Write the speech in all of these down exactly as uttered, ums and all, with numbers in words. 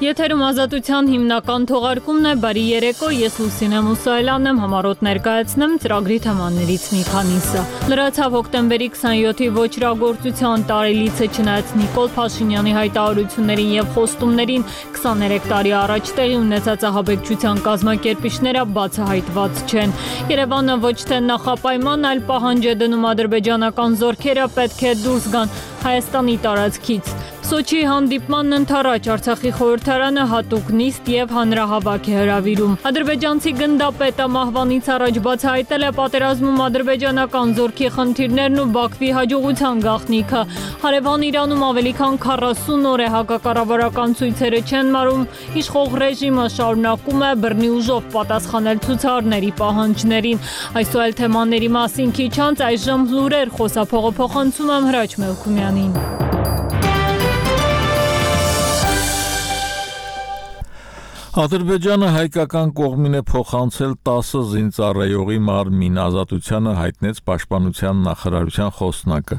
Եթերում ազատության հիմնական թողարկումն է, բարի երեկո, ես Լուսինե Մուսայելյանն եմ, համառոտ ներկայացնեմ ծրագրի թեմաներից մի քանիսը։ Լրացավ հոկտեմբերի քսաներկուի ոչրագործության տարելիցը, չնայած Նիկոլ Փաշինյանի հայտարարություններին եւ խոստումներին քսաներեք տարի առաջ տեղի ունեցած ահաբեկչության կազմակերպիչները բացահայտված չեն։ Երևանը ոչ թե նախապայման, այլ պահանջ է դնում ադրբեջանական զորքերը պետք է դուրս գան Հայաստանի տարածքից։ Սոչիի հանդիպմանն ընթառաջ Արցախի խորհրդարանը հատուկ նիստ եւ հանրահավաք է հրավիրում։ Ադրբեջանցի գնդապետը մահվանից առաջ բացահայտել է պատերազմում ադրբեջանական զորքի խնդիրներն ու Բաքվի հաջողության գաղտնիքը։ Հարևան Իրանում ավելի քան քառասուն օր է հակակառավարական ցույցերը չեն մարում, իշխող ռեժիմը շարունակում է բռնի ուժով պատասխանել ցուցարարների պահանջներին։ Այս ու այլ թեմաների մասին քիչ անց այժմ լուրեր խոսափողը փոխանցում եմ Հրաչ Մելքումյանին։ Ադրբեջանը հայկական կողմին է փոխանցել տասը զինծառայողի մարմին, ազատությանը հայտնեց պաշտպանության նախարարության խոսնակը։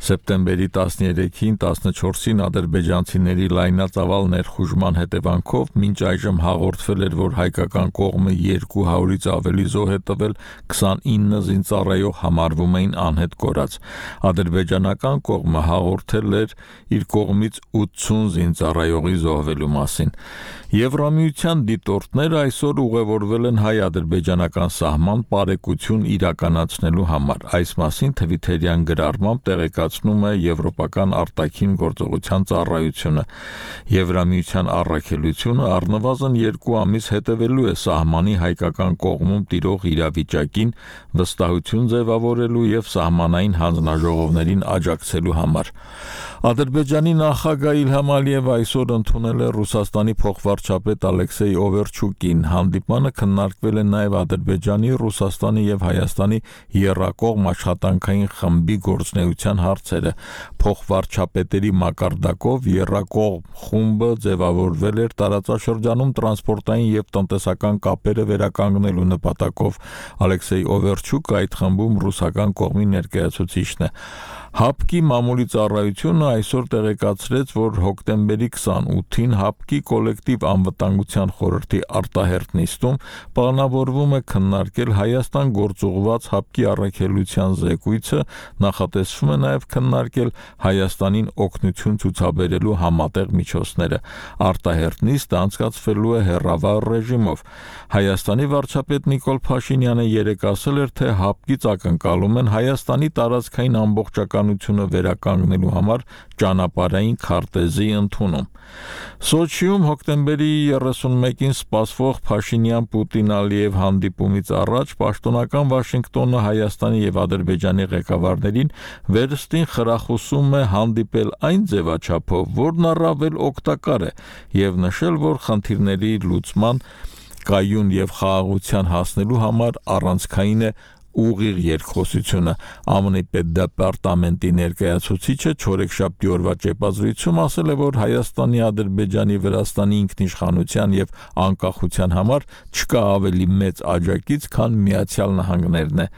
Սեպտեմբերի տասներեքին տասնչորսին ադրբեջանցիների լայնածավալ ներխուժման հետևանքով մինչ այժմ հաղորդվել էր, որ հայկական կողմը երկու հարյուրից ավելի զոհ է տվել, քսանինը զինծառայող համարվում էին անհետ կորած։ Ադրբեջանական կողմը հաղորդել էր իր կողմից ութսուն զինծառայողի զոհվելու մասին։ Եվրամիության դիտորդները այսօր ուղևորվել են հայ-ադրբեջանական սահման պարեկություն իրականացնելու համար։ Այս մասին թվիթերյան գրառմամբ տեղեկացնում է Եվրոպական արտաքին գործողության ծառայությունը։ Եվրամիության առաքելությունը առնվազն երկու ամիս հետևելու է սահմանի հայկական կողմում տիրող իրավիճակին, վստահություն ձևավորելու եւ սահմանային հանձնաժողովներին աջակցելու համար։ Ադրբեջանի նախագահ Իլհամ Ալիևը այսօր ընդունել է Ռուսաստանի փոխվարչապետ Ալեքսեյ Օվերչուկին։ Հանդիպանը քննարկվել է նաև Ադրբեջանի, Ռուսաստանի եւ Հայաստանի եռակողմ աշխատանքային խմբի գործունեության հարցերը։ Փոխվարչապետերի մակարդակով եռակողմ խումբը ձևավորվել էր տարածաշրջանում տրանսպորտային եւ տնտեսական կապերը վերականգնելու նպատակով։ Ալեքսեյ Օվերչուկը այդ խմբում ռուսական կողմի ներկայացուցիչն է։ ՀԱՊԿ-ի մամուլի ծառայությունը այսօր տեղեկացրեց, որ հոկտեմբերի քսանութին ՀԱՊԿ-ի կոլեկտիվ անվտանգության խորհրդի արտահերթ նիստում պլանավորվում է քննարկել Հայաստան գործուղված ՀԱՊԿ-ի առաքելության զեկույցը, նախատեսվում է նաև քննարկել Հայաստանին օգնություն ցուցաբերելու համատեղ միջոցները։ Արտահերթ նիստը անցկացվելու է հեռավար ռեժիմով։ Հայաստանի վարչապետ Նիկոլ Փաշինյանը երեկ ասել էր, թե ՀԱՊԿ-ից ակնկալում են Հայաստանի տարածքային ամբողջականությունը վերականգնելու համար ճանապարհային քարտեզի ընդունում։ Սոչիում հոկտեմբերի երեսունմեկին սպասվող Փաշինյան-Պուտին-Ալիև հանդիպումից առաջ պաշտոնական Վաշինգտոնը Հայաստանի եւ Ադրբեջանի ղեկավարներին վերստին խրախուսում է հանդիպել այն ձևաչափով, որն առավել օգտակար է, եւ նշել, որ խնդիրների լուծման կայուն եւ խաղաղության հասնելու համար առանցքային է ուղիղ երկխոսությունը։ ԱՄՆ-ի պետդեպարտամենտի ներկայացուցիչը չորեքշաբթի օրվա ճեպազրույցում ասել է, որ Հայաստանի, Ադրբեջանի, Վրաստանի ինքնիշխանության եւ անկախության համար չկա ավելի մեծ աջակից, քան Միացյալ Նահանգներն է։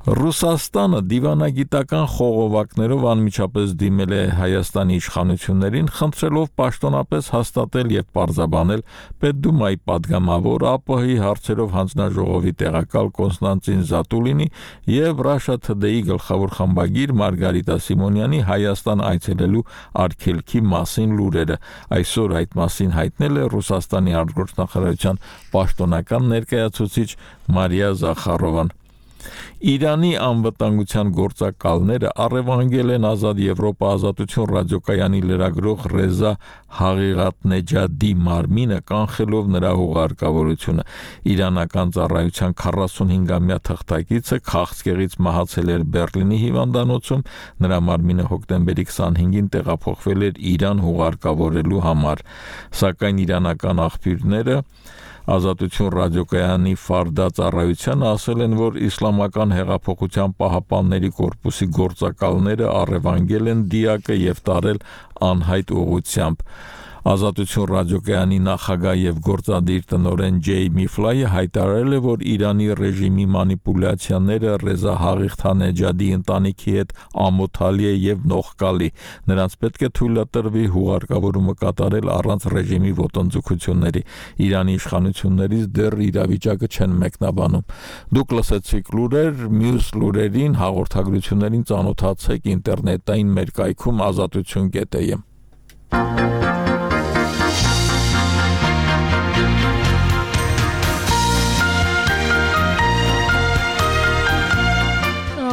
Ռուսաստանը դիվանագիտական խողովակներով անմիջապես դիմել է Հայաստանի իշխանություններին, խնդրելով պաշտոնապես հաստատել եւ պարզաբանել Պետդումայի падգամավոր ԱՊՀ-ի հարցերով հանձնաժողովի տեղակալ Կոնստանտին Զատուլինի եւ Russia Today-ի գլխավոր խմբագիր Մարգարիտա Սիմոնյանի Հայաստան այցելելու արգելքի մասին լուրերը։ Այսօր այդ մասին հայտնել է Ռուսաստանի արտգործնախարարության պաշտոնական ներկայացուցիչ Մարիա Զախարովան։ Իրանի անվտանգության գործակալները առևանգել են Ազատ Եվրոպա ազատություն ռադիոկայանի լրագրող Ռեզա Հաղիղաթնեջադի մարմինը, կանխելով նրա հուղարկավորությունը։ Իրանական ծառայության քառասունհինգամյա թղթակիցը քաղցկեղից մահացել էր Բեռլինի հիվանդանոցում, նրա մարմինը հոկտեմբերի քսանհինգին տեղափոխվել էր Իրան հուղարկավորելու համար, սակայն իրանական աղբյուրները Ազատություն ռադիոկայանի Ֆարդա ծառայությանը ասել են, որ Իսլամական հեղափոխության պահապանների կորպուսի գործակալները առևանգել են դիակը եւ տարել անհայտ ուղղությամբ։ Ազատություն ռադիոկայանի նախագահ եւ գործադիր տնօրեն Ջեյ Միֆլայը հայտարարել է, որ Իրանի ռեժիմի մանիպուլյացիաները Ռեզա Հաղիղթանեջադի ընտանիքի հետ ամոթալի է եւ նողկալի։ Նրանց պետք է թույլատրվի հուղարկավորումը կատարել առանց ռեժիմի ոտնձգությունների։ Իրանի իշխանություններից դեռ իրավիճակը չեն մեկնաբանում։ Դուք լսեցիք լուրեր, մյուս լուրերին հաղորդագրություններին ծանոթացեք ինտերնետային մեր կայքում ազատություն կետ է եմ։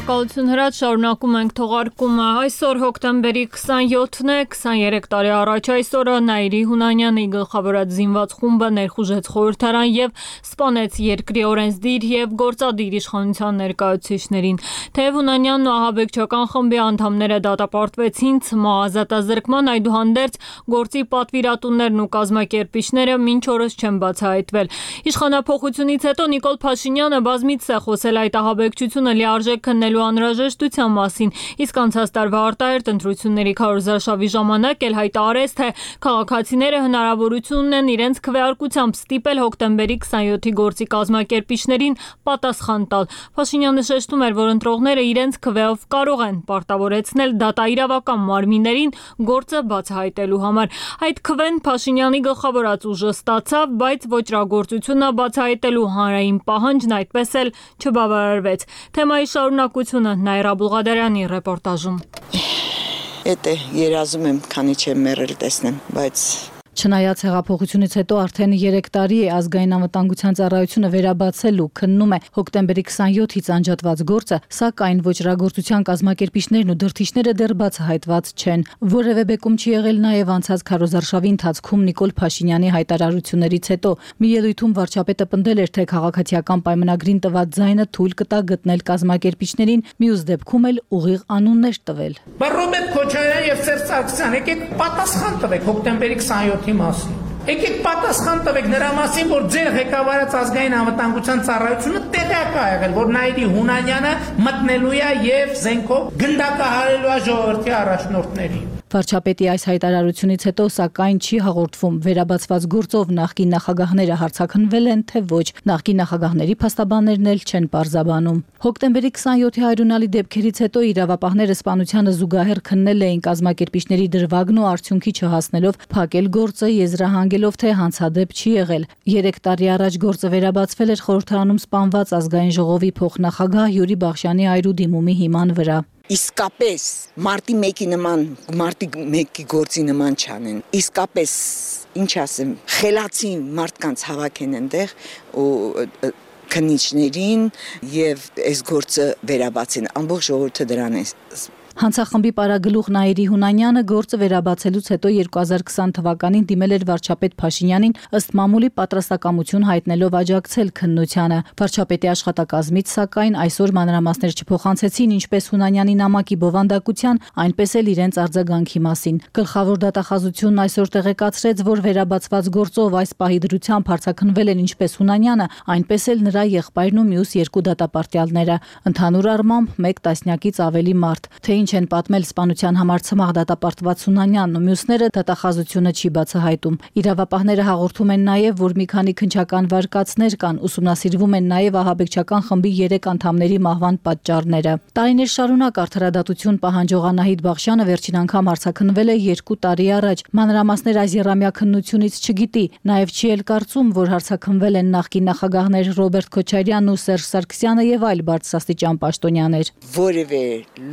Շնորհակալություն հրաց, շարունակում ենք թողարկումը։ Այսօր հոկտեմբերի քսաներկուսն է, քսաներեք տարի առաջ այսօրը Նաիրի Հունանյանի գլխավորած զինված խումբը ներխուժեց խորհրդարան եւ սպանեց երկրի օրենսդիր եւ գործադիր իշխանության ներկայացուցիչներին։ Թեև Հունանյանն ու ահաբեկչական խմբի անդամները դատապարտվեցին, ՑՄԱ ազատազրկման, այդուհանդերձ գործի պատվիրատուներն ու կազմակերպիչները մինչ օրս չեն բացահայտվել։ Իշխանափոխությունից հետո Նիկոլ Փաշինյանը բազմիցս է խոսել այդ ահաբեկչությունը լիարժեք քննելու անհրաժեշտության մասին, իսկ անցած տարվա արտահերթ ընտրությունների քարոզարշավի ժամանակ էլ հայտարարեց, թե քաղաքացիները հնարավորություն ունեն իրենց քվեարկությամբ ստիպել հոկտեմբերի քսաներկուի գործի կազմակերպիչներին պատասխան տալ։ Փաշինյանը շեշտում էր, որ ընտրողները իրենց քվեով կարող են պարտավորեցնել դատաիրավական մարմիններին գործը բացահայտելու համար։ Այդ քվեն Փաշինյանի գլխավորած ուժը ստացավ, բայց ոճրագործությունը բացահայտելու հանրային պահանջն այդպես էլ չբավարարվեց։ Թեմայի շարունակությունը Նաիրա Բուլղադարյանի ռեպորտաժում։ Էդ է, երազում եմ, քանի չեմ մեռել տեսնեմ, բայց Չնայած հեղափոխությունից հետո արդեն երեք տարի է ազգային անվտանգության ծառայությունը վերաբացել ու քննում է հոկտեմբերի քսաներկուից անջատված գործը, սակայն ոճրագործության կազմակերպիչներն ու դրդիչները դեռ բացահայտված չեն։ Որևէ բեկում չի եղել նաև անցած քարոզարշավի ընթացքում Նիկոլ Փաշինյանի հայտարարություններից հետո։ Մի ելույթում վարչապետը պնդել էր, թե քաղաքացիական պայմանագրին տված ձայնը թույլ կտա գտնել կազմակերպիչներին, մյուս դեպքում էլ ուղիղ անուններ տվել։ Ռոբերտ Քոչարյան եւ Սերժ Սարգսյան, եկեք պատասխան տվեք հոկտեմբերի քսաներկուի մասին։ Եկեք պատասխան տվեք նրա մասին, որ ձեր ղեկավարած ազգային անվտանգության ծառայությունը տեղյակ է եղել, որ Նաիրի Հունանյանը մտնելու է եւ զենքով գնդակահարելու է ժողովրդի առաջնորդներին։ Վարչապետի այս հայտարարությունից հետո սակայն չի հաղորդվում վերաբացված գործով նախկին նախագահները հարձակնվել են, թե ոչ։ Նախկին նախագահների փաստաբաններն էլ չեն պարզաբանում։ Հոկտեմբերի քսաներկուի հայրունալի դեպքերից հետո իրավապահները սպանությանը զուգահեռ քննել էին կազմակերպիչների դրվագն ու արդյունքի չհասնելով փակել գործը, եզրահանգելով, թե հանցադեպ չի եղել։ Երեք տարի առաջ գործը վերաբացվել էր խորհրդարանում սպանված ազգային ժողովի փոխնախագահ Յուրի Բախշյանի այրու դիմումի հիման վրա։ Իսկապես մարտի մեկի նման, մարտի մեկի գործի նման չանեն։ Իսկապես, ինչ ասեմ, խելացի մարդկանց հավաքեն այնտեղ ու քննիչներին եւ այս գործը վերաբացեն։ Ամբողջ ժողովուրդը դրան է։ Հանցախմբի պարագլուխ Նաիրի Հունանյանը գործը վերաբացելուց հետո երկու հազար քսան թվականին դիմել էր վարչապետ Փաշինյանին ըստ մամուլի պատրաստակամություն հայտնելով աջակցել քննությանը։ Վարչապետի աշխատակազմից սակայն այսօր մանրամասներ չփոխանցեցին ինչպես Հունանյանի նամակի բովանդակության, այնպես էլ իրենց արձագանքի մասին։ Գլխավոր դատախազությունն այսօր տեղեկացրեց, որ վերաբացված գործով այս պահի դրությամբ հարձակնվել են ինչպես Հունանյանը, այնպես էլ նրա եղբայրն ու մյուս երկու դատապարտյալները։ Ընդհանուր առմամբ մեկ տասնյակից ավելի մարդ։ Թե ինչ են պատմել սպանության համար ցմահ դատապարտված Հունանյանն ու մյուսները դատախազությունը չի բացահայտում։ Իրավապահները հաղորդում են նաև, որ մի քանի քննչական վարկածներ կան, ուսումնասիրվում են նաև ահաբեկչական խմբի երեք անդամների մահվան պատճառները։ Տարիներ շարունակ արդարադատություն պահանջող Անահիտ Բախշյանը վերջին անգամ հարձակնվել է երկու տարի առաջ։ Մանրամասներ այս եռամյա քննությունից չգիտի, նաև չի էլ կարծում, որ հարձակնվել են նախկին նախագահներ Ռոբերտ Քոչարյանն ու Սերժ Սարգսյանը եւ այլ բարձրաստիճան պաշտոնյաներ։ Որևէ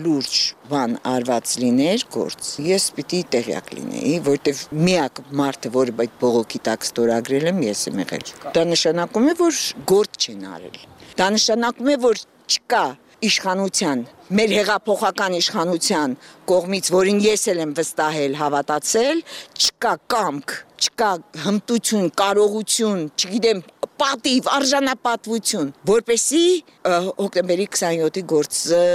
լուրջ բան արված լիներ գործ, ես պիտի տեղյակ լինեի, որտեվ միակ մարդը, որը այդ բողոքի տակ ստորագրել եմ, ես եմ եղել։ Դա նշանակում է, որ գործ չեն արել։ Դա նշանակում է, որ չկա իշխանության, մեր հեղափոխական իշխանության կողմից, որին ես էլ եմ վստահել, հավատացել, չկա կամք, չկա հմտություն, կարողություն, չգիտեմ, պատիվ, արժանապատվություն, որպեսզի հոկտեմբերի քսաներկուի գործը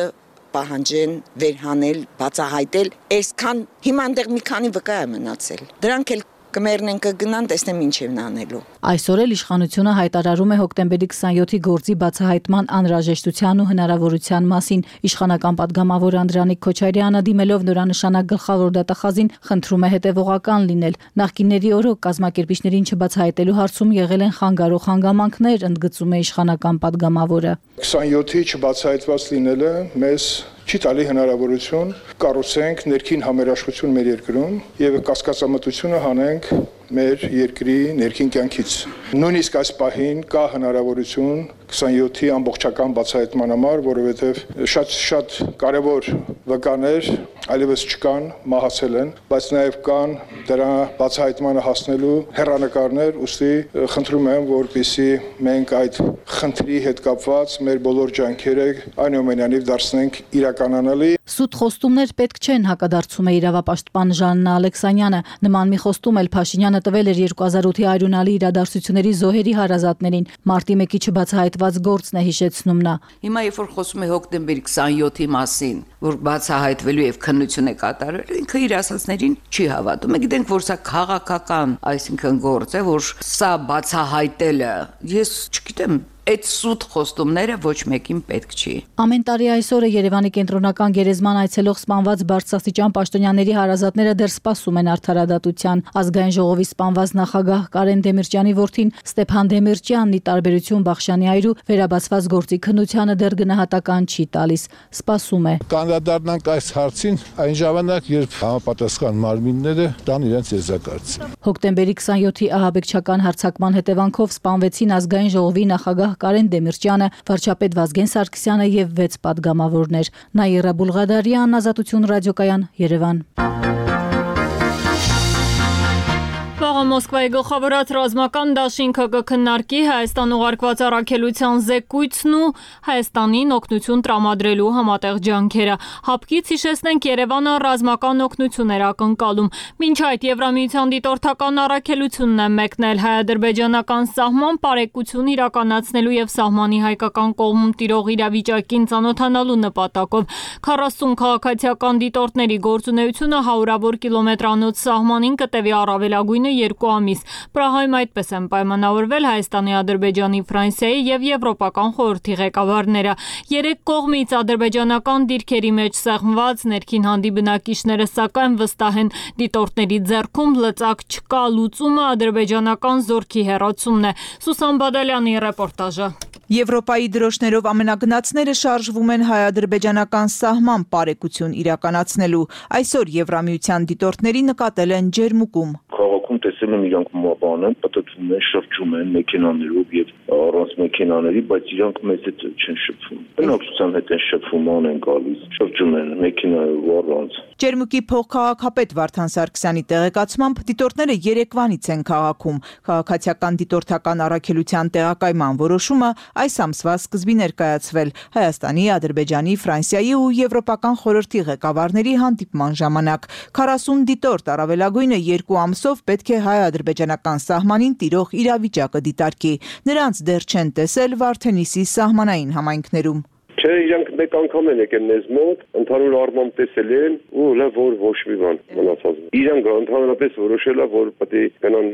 պահանջեն վերհանել, բացահայտել, այսքան հիմա այնտեղ մի քանի վկա է մնացել։ Դրանք էլ կմեռնեն կգնան, տեսնեմ ինչ են անելու։ Այսօր էլ իշխանությունը հայտարարում է հոկտեմբերի քսանյոթի գործի բացահայտման անհրաժեշտության ու հնարավորության մասին։ Իշխանական падգամավոր Անդրանիկ Քոչարյանը դիմելով նորանշանակ գլխավոր դատախազին խնդրում է հետևողական լինել։ Նախկինների օրոք կազմակերպիչներին չբացահայտելու հարցում եղել են խանգարող հանգամանքներ, ընդգծում է իշխանական падգամավորը։ քսանյոթի չբացահայտված լինելը մեզ չի տալի հնարավորություն կառուցենք ներքին համերաշխություն մեր երկրում եւ կասկածամտությունը հանենք մեր երկրի ներքին կյանքից։ Նույնիսկ այս պահին կա հնարավորություն քսանյոթի ամբողջական բացահայտման համար, որովհետեւ շատ-շատ կարևոր վկաներ այլևս չկան, մահացել են, բայց նաեւ կան դրա բացահայտմանը հասնելու հեռանկարներ, ուստի խնդրում եմ, որպեսզի մենք այդ խնդրի հետ կապված մեր բոլոր ջանքերը այնուամենայնիվ դարձնենք իրականանալի։ Սուտ խոստումներ պետք չեն, հակադարձում է իրավապաշտպան Ժաննա Ալեքսանյանը։ Նման մի խոստում էլ Փաշինյանը տվել էր երկու հազար ութի արյունալի իրադարձությունների զոհերի հարազատներին։ Մարտի մեկի չբացահայտված գործն է հիշեցնում նա։ Հիմա երբ որ խոսում է հոկտեմբերի քսանյոթի մասին, որ բացահայտվելու եւ քննություն է կատարվելու, ինքը իր ասածներին չի հավատում։ Մենք գիտենք, որ սա քաղաքական, այսինքն գործ է, որ սա բացահայտելը, ես չգիտեմ, այդ սուտ խոստումները ոչ մեկին պետք չի։ Ամեն տարի այսօրը Երևանի կենտրոնական գերեզման այցելող սպանված բարձրաստիճան պաշտոնյաների հարազատները դեռ սպասում են արդարադատության։ Ազգային ժողովի սպանված նախագահ Կարեն Դեմիրճյանի որդին Ստեփան Դեմիրճյանն ի տարբերություն Բախշյանի այրու վերաբացված գործի քննությանը դեռ գնահատական չի տալիս, սպասում է։ Կանդրադառնանք այս հարցին այն ժամանակ, երբ համապատասխան մարմինները տան իրենց եզրակացը։ Հոկտեմբերի քսանյոթի ահաբեկչական հարձակման հետևանքով սպանվեցին Ազգային ժողովի նախագահ Կարեն Դեմիրճյանը, վարչապետ Վազգեն Սարգսյանը եւ վեց падգամավորներ։ Նաիրա Բուլղադարյան, Ազատություն ռադիոկայան, Երևան։ Վաղը Մոսկվայի գլխավորած ռազմական դաշինքը կքննարկի Հայաստան ուղարկված առաքելության զեկույցն ու Հայաստանին օգնություն տրամադրելու համատեղ ջանքերը։ Հապկից հիշեցնենք Երևանը ռազմական օգնություն էր ակնկալում։ Մինչ այդ Եվրամիության դիտորդական առաքելությունն է մեկնել հայ-ադրբեջանական սահման պարեկություն իրականացնելու եւ սահմանի հայկական կողմում տիրող իրավիճակին ծանոթանալու նպատակով։ քառասուն քաղաքացիական դիտորդների գործունեությունը հարյուրավոր կիլոմետրանոց սահմանին կտևի առավելագույնը երկու ամիս։ Պրահայում այդպես են պայմանավորվել Հայաստանի, Ադրբեջանի, Ֆրանսիայի եւ Եվրոպական խորհրդի ղեկավարները։ Երեք կողմից ադրբեջանական դիրքերի մեջ սեղմված ներքին հանդի բնակիչները սակայն վստահ են դիտորդների ձեռքում լծակ չկա, լուծումը ադրբեջանական զորքի հեռացումն է։ Սուսան Բադալյանի ռեպորտաժը։ Եվրոպայի դրոշներով ամենագնացները շարժվում են հայ-ադրբեջանական սահման պարեկություն իրականացնելու։ Այսօր Եվրամիության դիտորդների նկատել են ջերմուկում։ Քաղաքում տեսել եմ իրանք մոբան են, պատտվում են, շրջում են մեքենաներով եւ առանց մեքենաների, բայց իրանք մեծ հետ չեն շփվում։ Բնակչության հետ են շփվում, ան են գալիս, շրջում են մեքենայով առանց։ Ջերմուկի փոխքաղաքապետ Վարդան Սարգսյանի տեղեկացմամբ դիտորդները երեկվանից են քաղաքում։ Քաղաքացիական դիտորդական առաքելության տեղակայման որոշումը այս ամսվա սկզբին ներկայացվել Հայաստանի, Ադրբեջանի, Ֆրանսիայի ու Եվրոպական խորհրդի ղեկավարների հանդիպման ժամանակ։ քառասուն դիտորդ առավելագույնը երկու ամսով պետք է հայ-ադրբեջանական սահմանին տիրող իրավիճակը դիտարկի։ Նրանց դեռ չեն տեսել Վարդենիսի սահմանային համայնքներում։ Չէ, իրանք մեկ անգամ են եկել մեզ մոտ, ընդհանուր առմամբ տեսել են ու լավ որ ոչ մի բան մնացած։ Իրանք ընդհանրապես որոշել է, որ պետք է գնան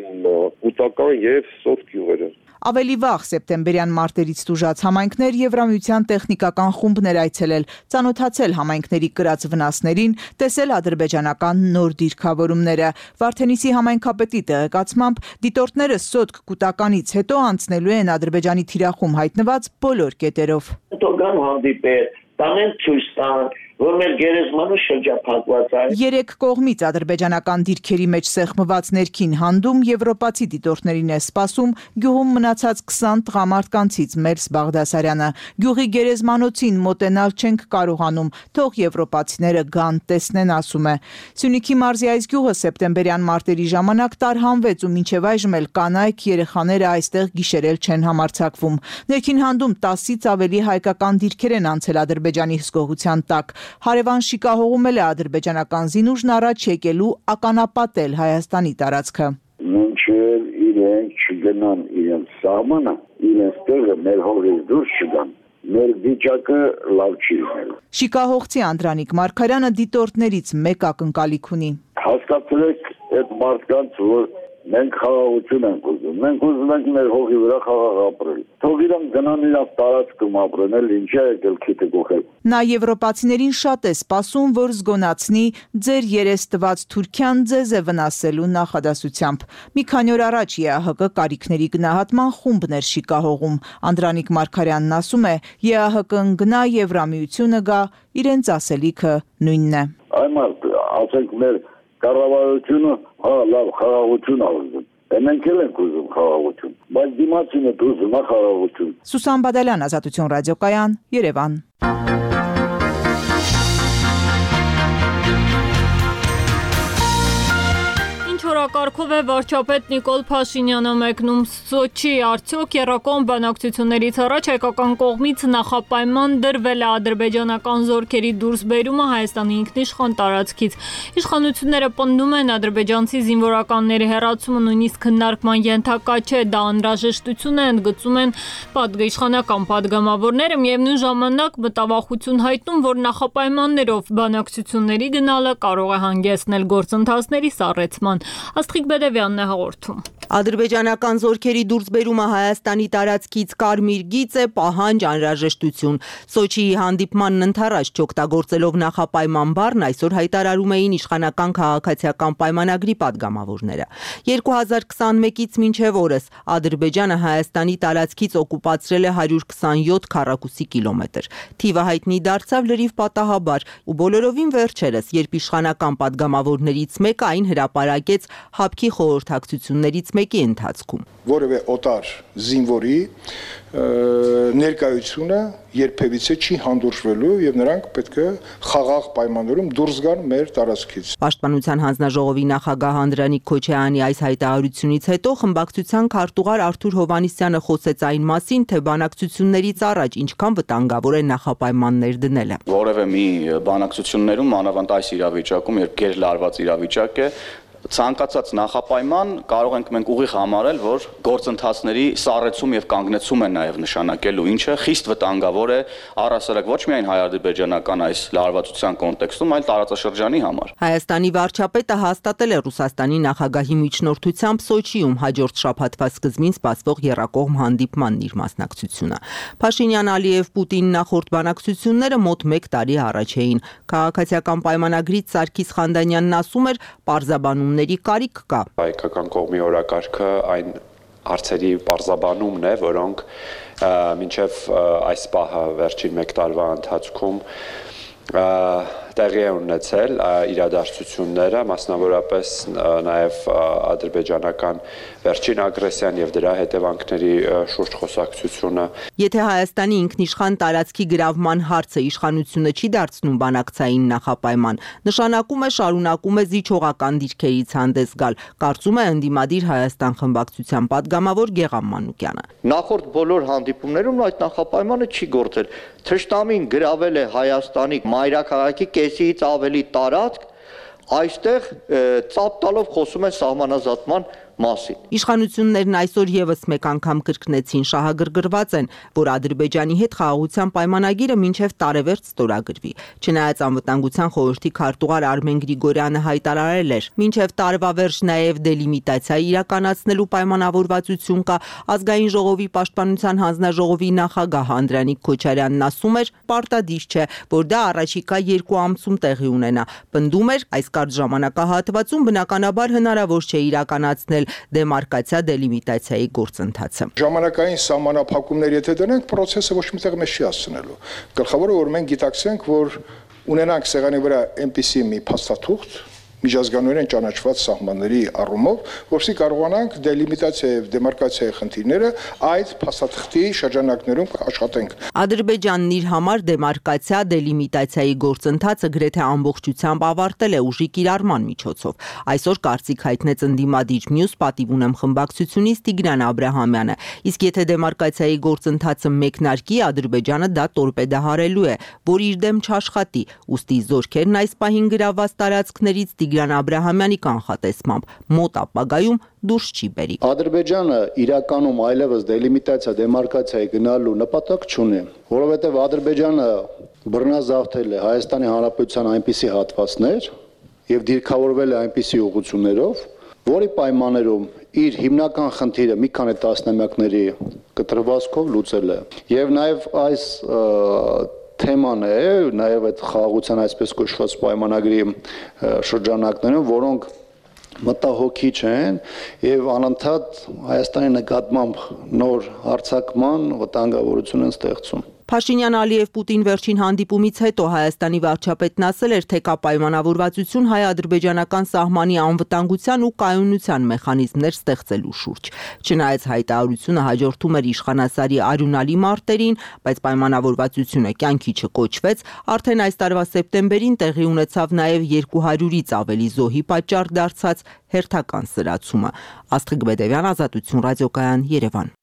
կուտական եւ սոտ գյուղերը։ Ավելի վաղ սեպտեմբերյան մարտերից տուժած համայնքներ Եվրամիության տեխնիկական խումբն էր այցելել, ծանոթացել համայնքների կրած վնասներին, տեսել ադրբեջանական նոր դիրքավորումները։ Վարդենիսի համայնքապետի տեղեկացմամբ դիտորդները սոտք կուտականից հետո անցնելու են Ադրբեջանի թիրախում հայտնված բոլոր կետերով։ Հետո գան հանդիպել, տանեն ցույց տան, որ մեր գերեզմանը շրջափակված է։ Երեք կողմից ադրբեջանական դիրքերի մեջ սեղմված ներքին հանդում եվրոպացի դիտորդներին է սպասում գյուղում մնացած քսան տղամարդկանցից Մերս Բաղդասարյանը։ Գյուղի գերեզմանոցին մոտենալ չենք կարողանում, թող եվրոպացիները գան տեսնեն, ասում է։ Սյունիքի մարզի այս գյուղը սեպտեմբերյան մարտերի ժամանակ տարհանվեց ու մինչև այժմ էլ կանայք, երեխաները այստեղ գիշերել չեն համարձակվում։ Ներքին հանդում տասից ավելի հայկական դիրքեր են անցել Ադրբեջանի հսկողության տակ։ Հարևան շիկահողում էլ է ադրբեջանական զինուժն առաջ եկելու ականապատել Հայաստանի տարածքը։ Մինչև իրենք չգնան իրենց սահմանը, իրենց տեղը մեր հողից դուրս չգան, մեր վիճակը լավ չի լինելու։ Շիկահողցի Անդրանիկ Մարգարյանը դիտորդներից մեկ ակնկալիք ունի։ Հասկացրեք այդ մարդկանց, որ Մենք խաղաղություն ենք ուզում։ Մենք ուզում ենք մեր հողի վրա խաղաղ ապրել։ Թող իրանք գնան իրաց տարածքում ապրեն, էլ ինչ է եկել քիթը գողել։ Նա եվրոպացիներին շատ է սպասում, որ զգոնացնի ձեր երես տված Թուրքիան ձեզ է վնասելու նախադասությամբ։ Մի քանի օր առաջ ԵԱՀԿ կարիքների գնահատման խումբներ շիկահողում։ Անդրանիկ Մարգարյանն ասում է, ԵԱՀԿ-ն գնա Եվրամիությունը գա, իրենց ասելիքը նույնն է։ Այ մարդ, ասենք մեր կառավարությունը, հա, լավ խաղաղություն ուզում։ Մենք էլ ենք ուզում խաղաղություն, բայց դիմացինը ուզում է խաղաղություն։ Սուսան Բադալյան, Ազատություն ռադիոկայան, Երևան։ Օրակարգով է վարչապետ Նիկոլ Փաշինյանը մեկնում Սոչի, արդյոք եռակողմ բանակցություններից առաջ հայկական կողմից նախապայման դրվել է ադրբեջանական զորքերի դուրսբերումը Հայաստանի ինքնիշխան տարածքից։ Իշխանությունները պնդում են ադրբեջանցի զինվորականների հեռացումը նույնիսկ քննարկման ենթակա չէ, դա անհրաժեշտություն է, ընդգծում են պատգիշխանական падգամավորները, միևնույն ժամանակ մտավախություն հայտնում, որ նախապայմաններով բանակցությունների գնալը կարող է հանգեցնել գործընթացների սառեցման։ Աստղիկ Բեդևյանն է հաղորդում։ Ադրբեջանական զորքերի դուրսբերումը Հայաստանի տարածքից կարմիր գիծ է, պահանջ, անհրաժեշտություն։ Սոչիի հանդիպմանն ընթառաջ չօգտագործելով նախապայման բառն այսօր հայտարարում էին իշխանական քաղաքացիական պայմանագրի падգամավորները։ երկու հազար քսանմեկից մինչև օրս Ադրբեջանը Հայաստանի տարածքից օկուպացրել է հարյուր քսանյոթ քառակուսի կիլոմետր։ Թիվը հայտնի դարձավ լրիվ պատահաբար ու բոլորովին վերջերս, երբ իշխանական падգամավորներից մեկը այն հրապարակեց Հապկի խորհրդակցություններից մեկի ընթացքում։ Որևէ օտար զինվորի ներկայությունը երբևիցե չի հանդուրժվելու եւ նրանք պետք է խաղաղ պայմաններում դուրս գան մեր տարածքից։ Պաշտպանության հանձնաժողովի նախագահ Անդրանիկ Քոչարյանի այս հայտարարությունից հետո խմբակցության քարտուղար Արթուր Հովհաննիսյանը խոսեց այն մասին, թե բանակցություններից առաջ ինչքան վտանգավոր է նախապայմաններ դնելը։ Որևէ մի բանակցություններում, մանավանդ այս իրավիճակում, երբ գերլարված իրավիճակ է, ցանկացած նախապայման կարող ենք մենք ուղիղ համարել, որ գործընթացների սառեցում եւ կանգնեցում են նաեւ նշանակելու, ինչը խիստ վտանգավոր է առհասարակ ոչ միայն հայ-ադրբեջանական այս լարվածության կոնտեքստում, այլ տարածաշրջանի համար։ Հայաստանի վարչապետը հաստատել է Ռուսաստանի նախագահի միջնորդությամբ Սոչիում հաջորդ շաբաթվա սկզբին սպասվող եռակողմ հանդիպմանն իր մասնակցությունը։ Փաշինյան-Ալիև-Պուտին նախորդ բանակցությունները մոտ մեկ տարի առաջ էին։ Քաղաքացիական պայմանագրից Սարգիս Խանդանյանն ասում էր, պարզաբանում կարիք կա։ Հայկական կողմի օրակարգը այն հարցերի պարզաբանումն է, որոնք մինչև այս պահը վերջին մեկ տարվա ընթացքում տեղի է ունեցել իրադարձությունները, մասնավորապես նաև ադրբեջանական վերջին ագրեսիան եւ դրա հետևանքների շուրջ խոսակցությունը։ Եթե Հայաստանի ինքնիշխան տարածքի գրավման հարցը իշխանությունը չի դարձնում բանակցային նախապայման, նշանակում է շարունակում է զիջողական դիրքերից հանդես գալ, կարծում է ընդդիմադիր Հայաստան խմբակցության падգամավոր Գեղամ Մանուկյանը։ Նախորդ բոլոր հանդիպումներում այդ նախապայմանը չի գործել։ Թշնամին գրավել է Հայաստանի մայրաքաղաքի կեսից ավելի տարածք, այստեղ ծափ տալով խոսում են սահմանազատման մասին։ Իշխանություններն այսօր եւս մեկ անգամ կրկնեցին, շահագրգռված են, որ Ադրբեջանի հետ խաղաղության պայմանագիրը մինչև տարեվերջ ստորագրվի։ Չնայած անվտանգության խորհրդի քարտուղար Արմեն Գրիգորյանը հայտարարել էր, մինչև տարվա վերջ նաեւ դելիմիտացիա իրականացնելու պայմանավորվածություն կա, ազգային ժողովի պաշտպանության հանձնաժողովի նախագահ Անդրանիկ Քոչարյանն ասում էր, պարտադիր չէ, որ դա առաջիկա երկու ամսում տեղի ունենա։ Պնդում էր, այս կարճ ժամանակահատվածում բնականաբար հնարավոր չէ իրականացնել դեմարկացիա դելիմիտացիայի գործընթացը։ Ժամանակային սահմանափակումներ եթե դնենք, process-ը ոչ միտեղ մեզ չի հասցնելու։ Գլխավորը որ մենք գիտակցենք, որ ունենանք սեղանի վրա այնպիսի մի փաստաթուղթ, միջազգանորեն ճանաչված սահմանների առումով, որսի կարողանանք դելիմիտացիա եւ դեմարկացիայի խնդիրները այդ փաստաթղթի շրջանակներում աշխատենք։ Ադրբեջանն իր համար դեմարկացիա դելիմիտացիայի գործընթացը գրեթե ամբողջությամբ ավարտել է ուժի կիրառման միջոցով։ Այսօր կարծիք հայտնեց ընդդիմադիր մյուս պատիվ ունեմ խմբակցությունից Տիգրան Աբրահամյանը, իսկ եթե դեմարկացիայի գործընթացը մեկնարկի, Ադրբեջանը դա տորպեդահարելու է, որ իր դեմ չաշխատի, ուստի զորքերն այս պահին գրաված տարածքներից Տիգրան Աբրահամյանի կանխատեսմամբ մոտ ապագայում դուրս չի բերի։ Ադրբեջանը իրականում այլևս դելիմիտացիա, դեմարկացիայի գնալու նպատակ չունի, որովհետև Ադրբեջանը բռնազավթել է Հայաստանի Հանրապետության այնպիսի հատվածներ եւ դիրքավորվել է այնպիսի ուղղություններով, որի պայմաններում իր հիմնական խնդիրը մի քանի տասնամյակների կտրվածքով լուծել է։ Եվ նաև այս թեման է, նաև այդ խաղաղության այսպես կոչված պայմանագրի շրջանակներում, որոնք մտահոգիչ են եւ անընդհատ Հայաստանի նկատմամբ նոր հարձակման վտանգավորություն են ստեղծում։ Փաշինյան-Ալիև-Պուտին վերջին հանդիպումից հետո Հայաստանի վարչապետն ասել էր, թե կա պայմանավորվածություն հայ-ադրբեջանական սահմանի անվտանգության ու կայունության մեխանիզմներ ստեղծելու շուրջ։ Չնայած հայտարարությունը հաջորդում էր իշխանասարի արյունալի մարտերին, բայց պայմանավորվածությունը կյանքի չկոչվեց, արդեն այս տարվա սեպտեմբերին տեղի ունեցավ նաև երկու հարյուրից ավելի զոհի պատճառ դարձած հերթական սրացումը։ Աստղիկ Բեդևյան, Ազատություն ռադիոկայան, Երևան։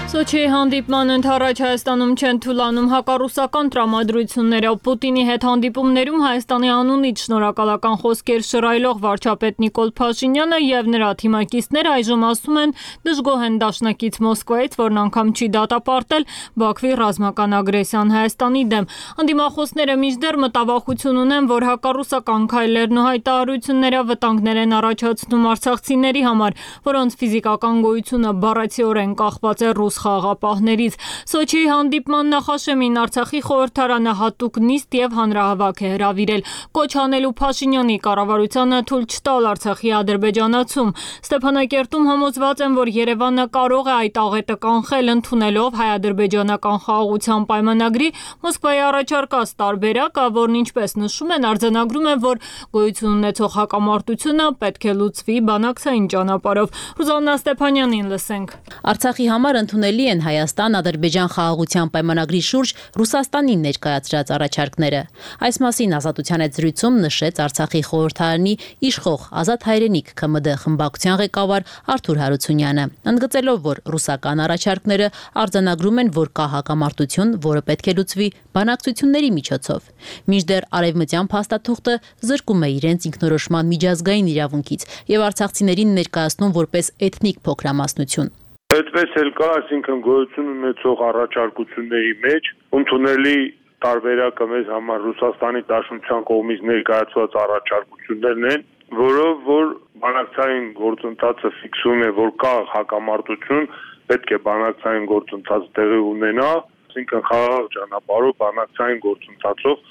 Սոչիի հանդիպման ընդառաջ Հայաստանում չեն թուլանում հակառուսական տրամադրությունները։ Պուտինի հետ հանդիպումներում Հայաստանի անունից շնորհակալական խոսքեր շռայլող վարչապետ Նիկոլ Փաշինյանը եւ նրա թիմակիցները այժմ ասում են դժգոհ են դաշնակից Մոսկվայից, որն անգամ չի դատապարտել Բաքվի ռազմական ագրեսիան Հայաստանի դեմ։ Անդիմախոսները մինչդեռ մտավախություն ունեն, որ հակառուսական քայլերն ու հայտարարությունները վտանգներ են առաջացնում արցախցիների համար, որոնց ֆիզիկական գոյությունը բառացիորեն կախված է ռուս խաղաղապահներից։ Սոչիի հանդիպման նախաշեմին Արցախի խորհրդարանը հատուկ նիստ եւ հանրահավաք է հրավիրել, կոչ անելու Փաշինյանի կառավարությանը թույլ չտալ Արցախի ադրբեջանացում։ Ստեփանակերտում համոզված են, որ Երևանը կարող է այդ աղետը կանխել ընդունելով հայ-ադրբեջանական խաղաղության պայմանագրի Մոսկվայի առաջարկած տարբերակը, որն ինչպես նշում են, արձանագրում է, որ գոյություն ունեցող հակամարտությունը պետք է լուծվի բանակցային ճանապարհով։ Ռուզաննա Ստեփանյանին լսենք։ Արցախի համար ընդունելի են Հայաստան-Ադրբեջան խաղաղության պայմանագրի շուրջ Ռուսաստանին ներկայացրած առաջարկները։ Այս մասին Ազատության հետ զրույցում նշեց Արցախի խորհրդարանի իշխող Ազատ հայրենիք ՔՄԴ խմբակցության ղեկավար Արթուր Հարությունյանը, ընդգծելով, որ ռուսական առաջարկները արձանագրում են, որ կա հակամարտություն, որը պետք է լուծվի բանակցությունների միջոցով։ Մինչդեռ արևմտյան փաստաթուղթը զրկում է իրենց ինքնորոշման միջազգային իրավունքից եւ արցախցիներին ներկայացնում որպես էթնիկ փոքրամասնություն։ Այդպես էլ կա, այսինքն գոյություն ունեցող առաջարկությունների մեջ ընդունելի տարբերակը մեզ համար Ռուսաստանի Դաշնության կողմից ներկայացված առաջարկություններն են, որով որ բանակցային գործընթացը ֆիքսում է, որ կա հակամարտություն, պետք է բանակցային գործընթաց տեղի ունենա, այսինքն խաղաղ ճանապարհով բանակցային գործընթացով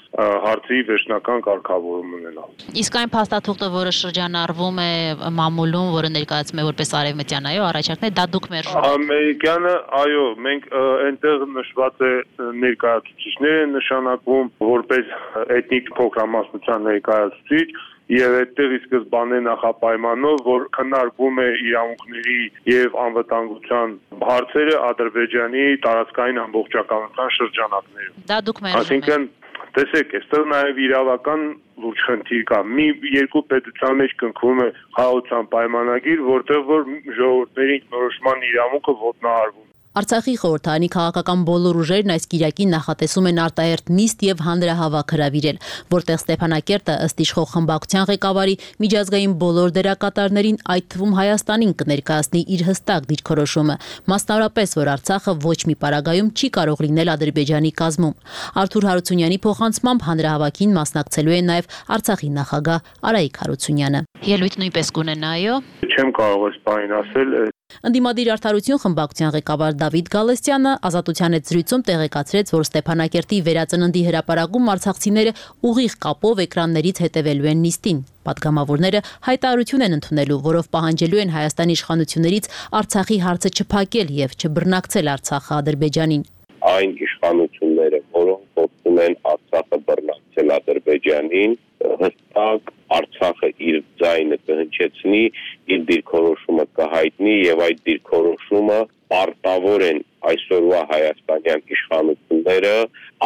հարցի վերջնական կարգավորում ունենալ։ Իսկ այն փաստաթուղթը, որը շրջանառվում է մամուլում, որը ներկայացում է որպես արևմտյան, այո, առաջարկներ, դա դուք մերժում եք։ Ամերիկյանը, այո, մենք այնտեղ նշված է ներկայացուցիչներ են նշանակվում որպես էթնիկ փոքրամասնության ներկայացուցիչ, եւ այդտեղ ի սկզբանե նախապայմանով, որ քննարկվում է իրավունքների եւ անվտանգության հարցերը Ադրբեջանի տարածքային ամբողջականության շրջանակներում։ Դա դուք մերժում եք։ Այսինքն, տեսեք, այստեղ նաեւ իրավական լուրջ խնդիր կա։ Մի երկու պետության մեջ կնքվում է խաղաղության պայմանագիր, որտեղ որ ժողովուրդների ինքնորոշման իրավունքը ոտնահարվում։ Արցախի խորհրդարանի քաղաքական բոլոր ուժերն այս կիրակին նախատեսում են արտահերթ նիստ եւ հանրահավաք հրավիրել, որտեղ Ստեփանակերտը ըստ իշխող խմբակցության ղեկավարի միջազգային բոլոր դերակատարներին, այդ թվում Հայաստանին կներկայացնի իր հստակ դիրքորոշումը, մասնավորապես, որ Արցախը ոչ մի պարագայում չի կարող լինել Ադրբեջանի կազմում։ Արթուր Հարությունյանի փոխանցմամբ հանրահավաքին մասնակցելու է նաեւ Արցախի նախագահ Արայիկ Հարությունյանը։ Ելույթ նույնպես կունենա, այո։ Չեմ կարող այս բանին ասել։ Ընդդիմադիր արդարություն խմբակցության ղեկավար Դավիթ Գալստյանը Ազատության հետ զրույցում տեղեկացրեց, որ Ստեփանակերտի վերածննդի հրապարակում արցախցիները ուղիղ կապով էկրաններից հետևելու են նիստին։ Պատգամավորները հայտարարություն են ընդունելու, որով պահանջելու են Հայաստանի իշխանություններից Արցախի հարցը չփակել եւ չբռնակցել Արցախը Ադրբեջանին։ Այն իշխանությունները, որոնք փորձում են Արցախը բռնակցել Ադրբեջանին, հստակ Արցախը իր ձայնը կհնչեցնի, իր դիրքորոշումը կհայտնի եւ այդ դիրքորոշումը պարտավոր են այսօրվա հայաստանյան իշխանությունները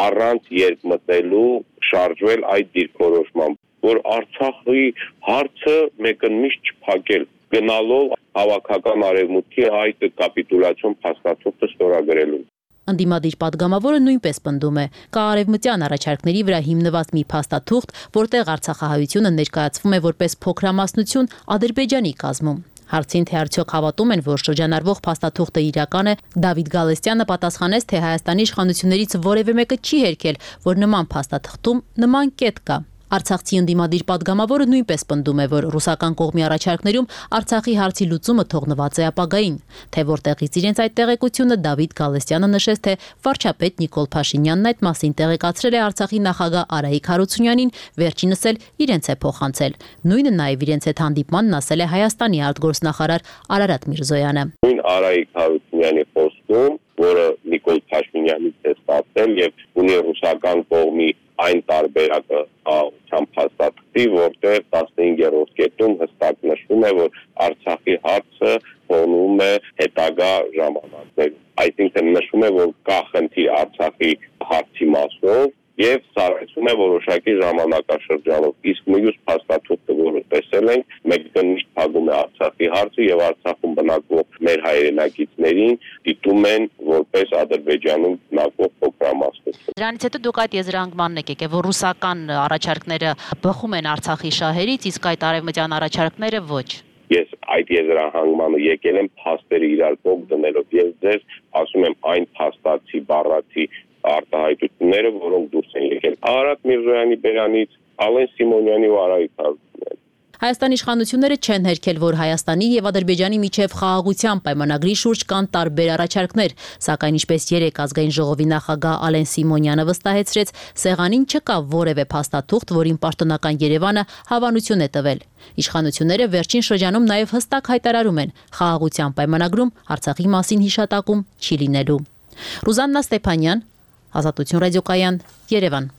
առանց երկմտելու շարժվել այդ դիրքորոշմամբ, որ Արցախի հարցը մեկընդմիշտ չփակել, գնալով հավաքական արևմուտքի այդ կապիտուլյացիոն փաստաթուղթը ստորագրելու։ Ընդդիմադիր պատգամավորը նույնպես պնդում է, կա արևմտյան առաջարկների վրա հիմնված մի փաստաթուղթ, որտեղ արցախահայությունը ներկայացվում է որպես փոքրամասնություն Ադրբեջանի կազմում։ Հարցին թե արդյոք հավատում են, որ շրջանառվող փաստաթուղթը իրական է, Դավիթ Գալստյանը պատասխանեց, թե Հայաստանի իշխանություններից որևէ մեկը չի հերքել, որ նման փաստաթղթում նման կետ կա։ Արցախցի ընդդիմադիր պատգամավորը նույնպես պնդում է, որ ռուսական կողմի առաջարկներում Արցախի հարցի լուծումը թողնված է ապագային, թե որտեղից իրենց այդ տեղեկությունը Դավիթ Գալստյանը նշեց, թե վարչապետ Նիկոլ Փաշինյանն այդ մասին տեղեկացրել է Արցախի նախագահ Արայիկ Հարությունյանին, վերջինս էլ իրենց է փոխանցել։ Նույնը նաև իրենց հետ հանդիպմանն ասել է Հայաստանի արտգործնախարար Արարատ Միրզոյանը։ Նույն Արայիկ Հարությունյանի խոսքում, որը Նիկոլ Փաշինյանից է ստացել եւ ունի ռուսական կողմի այն տարբերակը աղության փաստաթղթի, որտեղ տասնհինգերորդ կետում հստակ նշվում է, որ Արցախի հարցը փոնում է հետագա ժամանակներում։ Այսինքն նշվում է, որ կա խնդիր Արցախի հարցի մասով եւ սարեցում է որոշակի ժամանակաշրջանով։ Իսկ մյուս փաստաթուղթը, որը տեսել ենք, մեկնիշտ փակում է Արցախի հարցը եւ Արցախում բնակվող մեր հայրենակիցներին դիտում են որպես Ադրբեջանում բնակվող փոքրամասնություն։ Դրանից հետո դուք այդ եզրանկմանն եք եկել, որ ռուսական առաջարկները բխում են Արցախի շահերից, իսկ այդ արևմտյան առաջարկները ոչ։ Ես այդ եզրահանգմանը եկել եմ փաստերը իրար կողմ դնելով եւ ձեզ ասում եմ այն փաստացի բառացի արտահայտությունները, որոնք դուրս են եկել Արարատ Միրզոյանի բերանից, Ալեն Սիմոնյանի ու Արայիկ Հարությունյանի։ Հայաստանի իշխանությունները չեն հերքել, որ Հայաստանի եւ Ադրբեջանի միջև խաղաղության պայմանագրի շուրջ կան տարբեր առաջարկներ, սակայն ինչպես երեք ազգային ժողովի նախագահ Ալեն Սիմոնյանը վստահեցրեց, սեղանին չկա որևէ փաստաթուղթ, որին պաշտոնական Երևանը հավանություն է տվել։ Իշխանությունները վերջին շրջանում նաև հստակ հայտարարում են, խաղաղության պայմանագրում Արցախի մասին հիշատակում չի լինելու։ Ռուզաննա Ստեփանյան, Ազատություն ռադիոկայան, Երևան։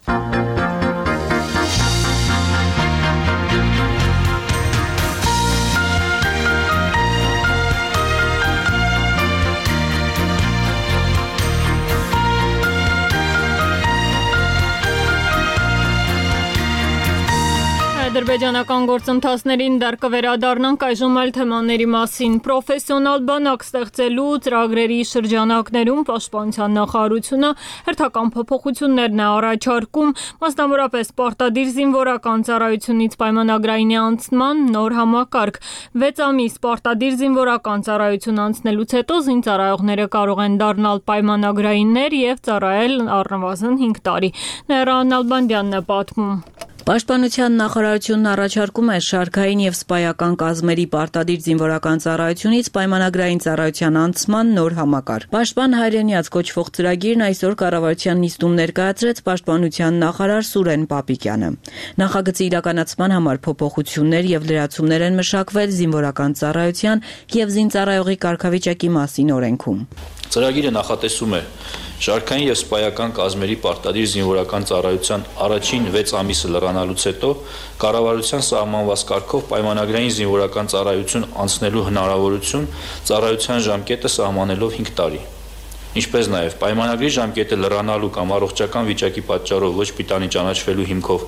Ադրբեջանական գործընթացներին դեռ կվերադառնանք այժմ այլ թեմաների մասին։ Պրոֆեսիոնալ բանակ ստեղծելու ծրագրերի շրջանակներում Պաշտպանության նախարարությունը հերթական փոփոխություններն է առաջարկում, մասնավորապես պարտադիր զինվորական ծառայությունից պայմանագրային անցման նոր համակարգ։ վեց ամիս պարտադիր զինվորական ծառայություն անցնելուց հետո զինծառայողները կարող են դառնալ պայմանագրայիններ եւ ծառայել առնվազն հինգ տարի։ Նեհրան Ալբանդյանն է պատմում։ Պաշտպանության նախարարությունն առաջարկում է շարքային եւ սպայական կազմերի պարտադիր զինվորական ծառայությունից պայմանագրային ծառայության անցման նոր համակարգ։ Պաշտպան հայրենիաց կոչվող ծրագիրն այսօր կառավարության նիստում ներկայացրեց պաշտպանության նախարար Սուրեն Պապիկյանը։ Նախագծի իրականացման համար փոփոխություններ եւ լրացումներ են մշակվել զինվորական ծառայության եւ զինծառայողի կարգավիճակի մասին օրենքում։ Ծրագիրը նախատեսում է շարքային եւ սպայական կազմերի պարտադիր զինվորական ծառայության առաջին վեց ամիսը լրանալուց հետո կառավարության սահմանված կարգով պայմանագրային զինվորական ծառայություն անցնելու հնարավորություն ծառայության ժամկետը սահմանելով հինգ տարի։ Ինչպես նաև պայմանագրի ժամկետը լրանալու կամ առողջական վիճակի պատճառով ոչ պիտանի ճանաչվելու հիմքով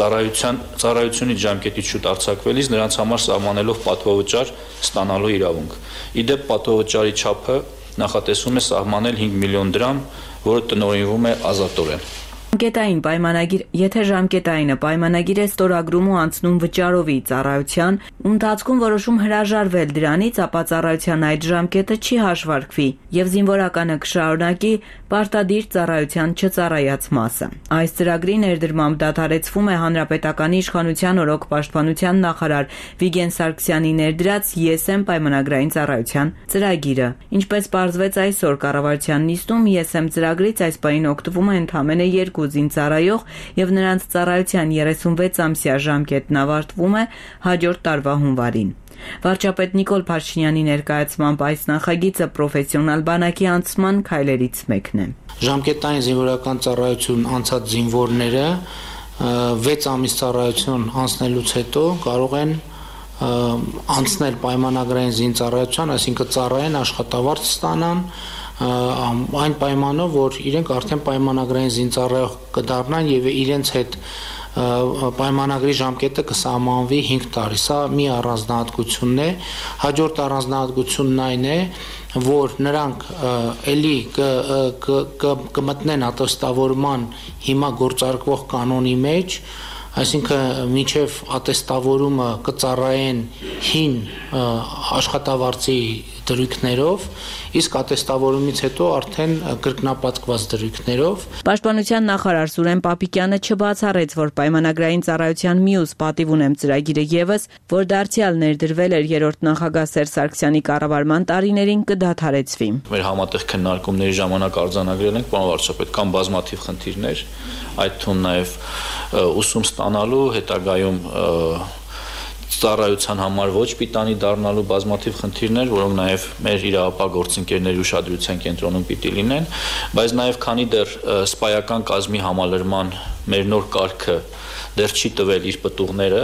ծառայության ծառայությունից ժամկետից շուտ արձակվելիս նրանց համար սահմանելով պատվովճար ստանալու իրավունք։ Իդեպ պատվովճարի չափը նախատեսում է սահմանել հինգ միլիոն դրամ, որը տնօրինվում է ազատորեն։ Ժամկետային պայմանագիր, եթե ժամկետայինը պայմանագիր է ստորագրում ու անցնում վճարովի ծառայության, ու ընթացքում որոշում հրաժարվել դրանից, ապա ծառայության այդ ժամկետը չի հաշվարկվի եւ զինվորականը կշարունակի պարտադիր ծառայության չծառայած մասը։ Այս ծրագրի ներդրմամբ դադարեցվում է հանրապետականի իշխանության օրոք պաշտպանության նախարար Վիգեն Սարգսյանի ներդրած Ես եմ պայմանագրային ծառայության ծրագիրը։ Ինչպես պարզվեց այսօր կառավարության նիստում, Ես եմ ծրագրից այս պահին օգտվում է ընդամենը երկու զինծառայող եւ նրանց ծառայության երեսունվեց ամսյա ժամկետն ավարտվում է հաջորդ տարվա հունվարին։ Վարչապետ Նիկոլ Փաշինյանի ներկայացմամբ այս նախագիծը պրոֆեսիոնալ բանակի անցման քայլերից մեկն է։ Ժամկետային զինվորական ծառայություն անցած զինվորները վեց ամիս ծառայություն անցնելուց հետո կարող են անցնել պայմանագրային զինծառայության, այսինքն ծառայեն, աշխատավարձ ստանան, այն պայմանով, որ իրենք արդեն պայմանագրային զինծառայող կդառնան եւ իրենց հետ պայմանագրի ժամկետը կսահմանվի հինգ տարի։ Սա մի առանձնահատկությունն է։ Հաջորդ առանձնահատկությունն այն է, որ նրանք էլի կմտնեն ատոստավորման հիմա գործարկվող կանոնի մեջ, այսինքն մինչև ատեստավորումը կծառայեն հին աշխատավարձի դրույքներով, իսկ ատեստավորումից հետո արդեն կրկնապատկված դրույքներով։ Պաշտպանության նախարար Սուրեն Պապիկյանը չբացառեց, որ պայմանագրային ծառայության մյուս պատիվ ունեմ ծրագիրը ևս, որ դարձյալ ներդրվել էր երրորդ նախագահ Սերժ Սարգսյանի կառավարման տարիներին, կդադարեցվի։ Մեր համատեղ քննարկումների ժամանակ արձանագրել ենք, պարոն վարչապետ, կան բազմաթիվ խնդիրներ, այդ թվում նաև ուսում ստանալու, հետագայում ծառայության համար ոչ պիտանի դառնալու բազմաթիվ խնդիրներ, որոնք նաև մեր իրավապահ գործընկերների ուշադրության կենտրոնում պիտի լինեն, բայց նաև քանի դեռ սպայական կազմի համալրման մեր նոր կարգը դեռ չի տվել իր պտուղները,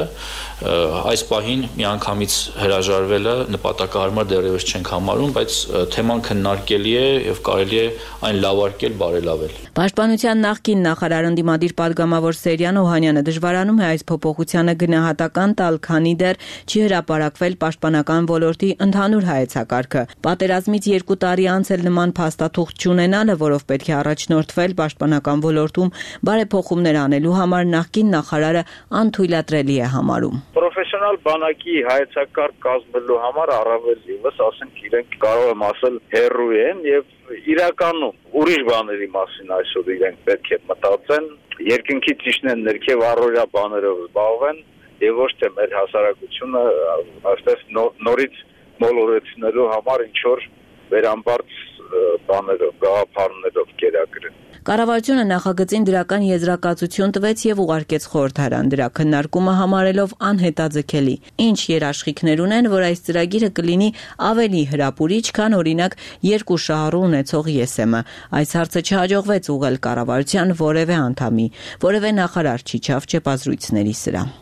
այս պահին միանգամից հրաժարվելը նպատակահարմար դեռևս չենք համարում, բայց թեման քննարկելի է եւ կարելի է այն լավարկել, բարելավել։ Պաշտպանության նախկին նախարար ընդդիմադիր падգամավոր Սերյան Օհանյանը դժվարանում է այս փոփոխությանը գնահատական տալ, քանի դեռ չի հրապարակվել պաշտպանական ոլորտի ընդհանուր հայեցակարգը։ Պատերազմից երկու տարի անց էլ նման փաստաթուղթ չունենալը, որով պետք է առաջնորդվել պաշտպանական ոլորտում բարեփոխումներ անելու համար, նախկին նախարարը անթույլատրելի է համարում։ Պրոֆեսիոնալ բանակի հայեցակարգ կազմելու համար առավել ևս, ասենք, իրենք կարող եմ ասել հեռու են եւ իրականում ուրիշ բաների մասին այսօր իրենք պետք է մտածեն, երկնքի ճիշտն ներքև առօրյա բաներով զբաղվեն եւ ոչ թե մեր հասարակությունը այստեղ նորից մոլորեցնելու համար ինչ որ վերամբարձ բաներով, գաղափարներով կերակրեն։ Կառավարությունը նախագծին դրական եզրակացություն տվեց եւ ուղարկեց խորհրդարան, դրա քննարկումը համարելով անհետաձգելի։ Ինչ երաշխիքներ ունեն, որ այս ծրագիրը կլինի ավելի հրապուրիչ, քան օրինակ երկու շահառու ունեցող ԵՍՄ։ Այս հարցը չհաջողվեց ուղղել կառավարության որևէ անդամի, որևէ նախարար չիջավ չեպազրույցների սրահ։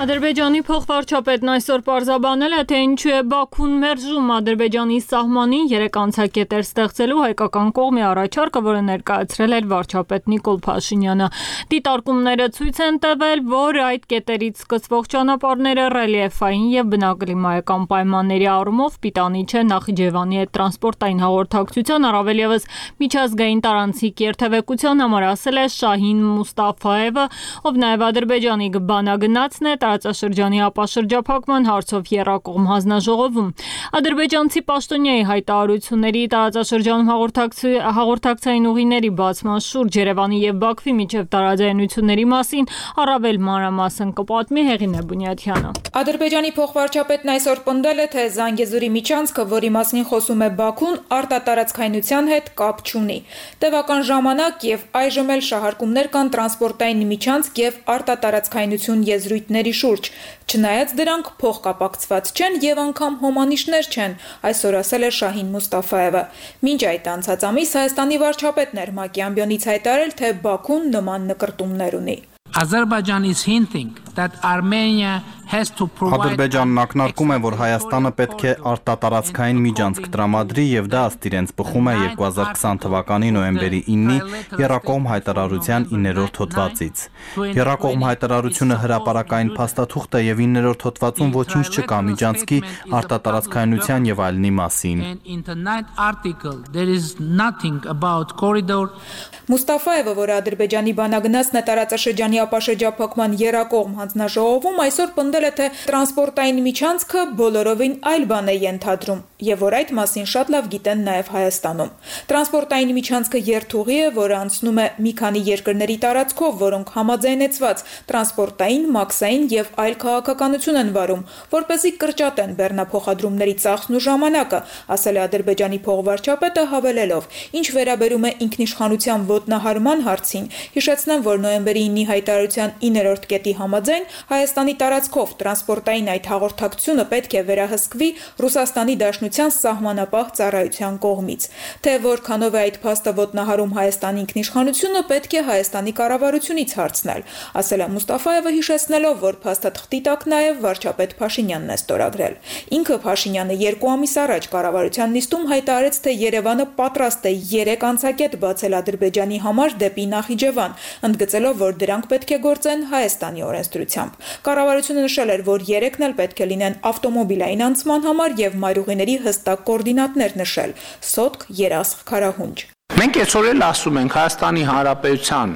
Ադրբեջանի փոխվարչապետն այսօր պարզաբանել է, թե ինչու է Բաքուն մերժում Ադրբեջանի սահմանին երեք անցակետեր ստեղծելու հայկական կողմի առաջարկը, որը ներկայացրել էր վարչապետ Նիկոլ Փաշինյանը։ Դիտարկումները ցույց են տվել, որ այդ կետերից սկսվող ճանապարհները ռելիեֆային եւ բնակլիմայական պայմանների առումով պիտանի չէ Նախիջևանի հետ տրանսպորտային հաղորդակցության, առավել ևս միջազգային տարանցիկ երթևեկության համար, ասել է Շահին Մուստաֆաևը, ով նաեւ Ադրբեջանի բանագնացն է տարածաշրջանի ապաշրջափակման հարցով եռակողմ հանձնաժողովում։ Ադրբեջանցի պաշտոնյայի հայտարարությունների տարածաշրջանում հաղորդակցային ուղիների բացման շուրջ Երևանի եւ Բաքվի միջև տարաձայնությունների մասին առավել մանրամասն կպատմի Հեղինե Բունյաթյանը։ Ադրբեջանի փոխվարչապետն այսօր պնդել է, թե Զանգեզուրի միջանցքը, որի մասին խոսում է Բաքուն, արտատարածքայնության հետ կապ չունի։ Տևական ժամանակ եւ այժմ էլ շահարկումներ կան տրանսպորտային միջանցք եւ արտատարածքայնություն եզրույթների շուրջ, չնայած դրանք փոխկապակցված չեն եւ անգամ հոմանիշներ չեն, այսօր ասել է Շահին Մուստաֆաևը։ Մինչ այդ անցած ամիս Հայաստանի վարչապետն էր ՄԱԿ-ի ամբիոնից հայտարարել, թե Բաքուն նման նկրտումներ ունի։ Azerbaijan is hinting that Armenia has to provide Ադրբեջանն ակնարկում է, որ Հայաստանը պետք է արտատարածքային միջանցք տրամադրի եւ դա ըստ իրենց բխում է երկու հազար քսան թվականի նոյեմբերի իննի Եռակողմ հայտարարության իններորդ հոդվածից։ Եռակողմ հայտարարությունը հրապարակային փաստաթուղթ է եւ իններորդ հոդվածում ոչինչ չկա միջանցքի արտատարածքայնության եւ այլնի մասին։ Մուստաֆաևը, որը Ադրբեջանի բանագնացն է տարածաշրջանի ապաշրջափակման եռակողմ հանձնաժողովում, այսօր պնդել է, թե տրանսպորտային միջանցքը բոլորովին այլ բան է ենթադրում եւ որ այդ մասին շատ լավ գիտեն նաեւ Հայաստանում։ Տրանսպորտային միջանցքը երթուղի է, որը անցնում է մի քանի երկրների տարածքով, որոնք համաձայնեցված տրանսպորտային, մաքսային եւ այլ քաղաքականություն են վարում, որպեսզի կրճատեն բեռնափոխադրումների ծախսն ու ժամանակը, ասել է Ադրբեջանի փոխվարչապետը, հավելելով. Ինչ վերաբերում է ինքնիշխանության ոտնահարման հարցին, հիշեցնեմ, որ նոյեմբերի իննի հայտարարության իններորդ կետի համաձայն Հայաստանի տարածքով տրանսպորտային այդ հաղորդակցությունը պետք է վերահսկվի Ռուսաստանի Դաշնության սահմանապահ ծառայության կողմից։ Թե որքանով է այդ փաստը ոտնահարում Հայաստանի ինքնիշխանությունը, պետք է Հայաստանի կառավարությունից հարցնել, ասել է Մուստաֆաևը, հիշեցնելով, որ փաստաթղթի տակ նաև վարչապետ Փաշինյանն է ստորագրել։ Ինքը Փաշինյանը երկու ամիս առաջ կառավարության նիստում հայտարարեց, թե Երևանը պատրաստ է երեք անցակետ բացել Ադրբեջանի համար դեպի Նախիջևան, ընդգծելով, որ դրանք պետք է գործեն Հայաստանի օրենսդրությամբ։ Կառավարությունը նշել էր, որ երեքն էլ պետք է լինեն ավտոմոբիլային անցման համար եւ մայրուղիների հստակ կոորդինատներ նշել՝ սոտք, երասխ, քարահունջ։ Մենք այսօր էլ ասում ենք Հայաստանի Հանրապետության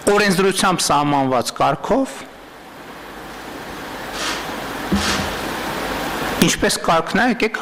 օրենսդրությամբ սահմանված կարգով ինչպես կարգն է, եկեք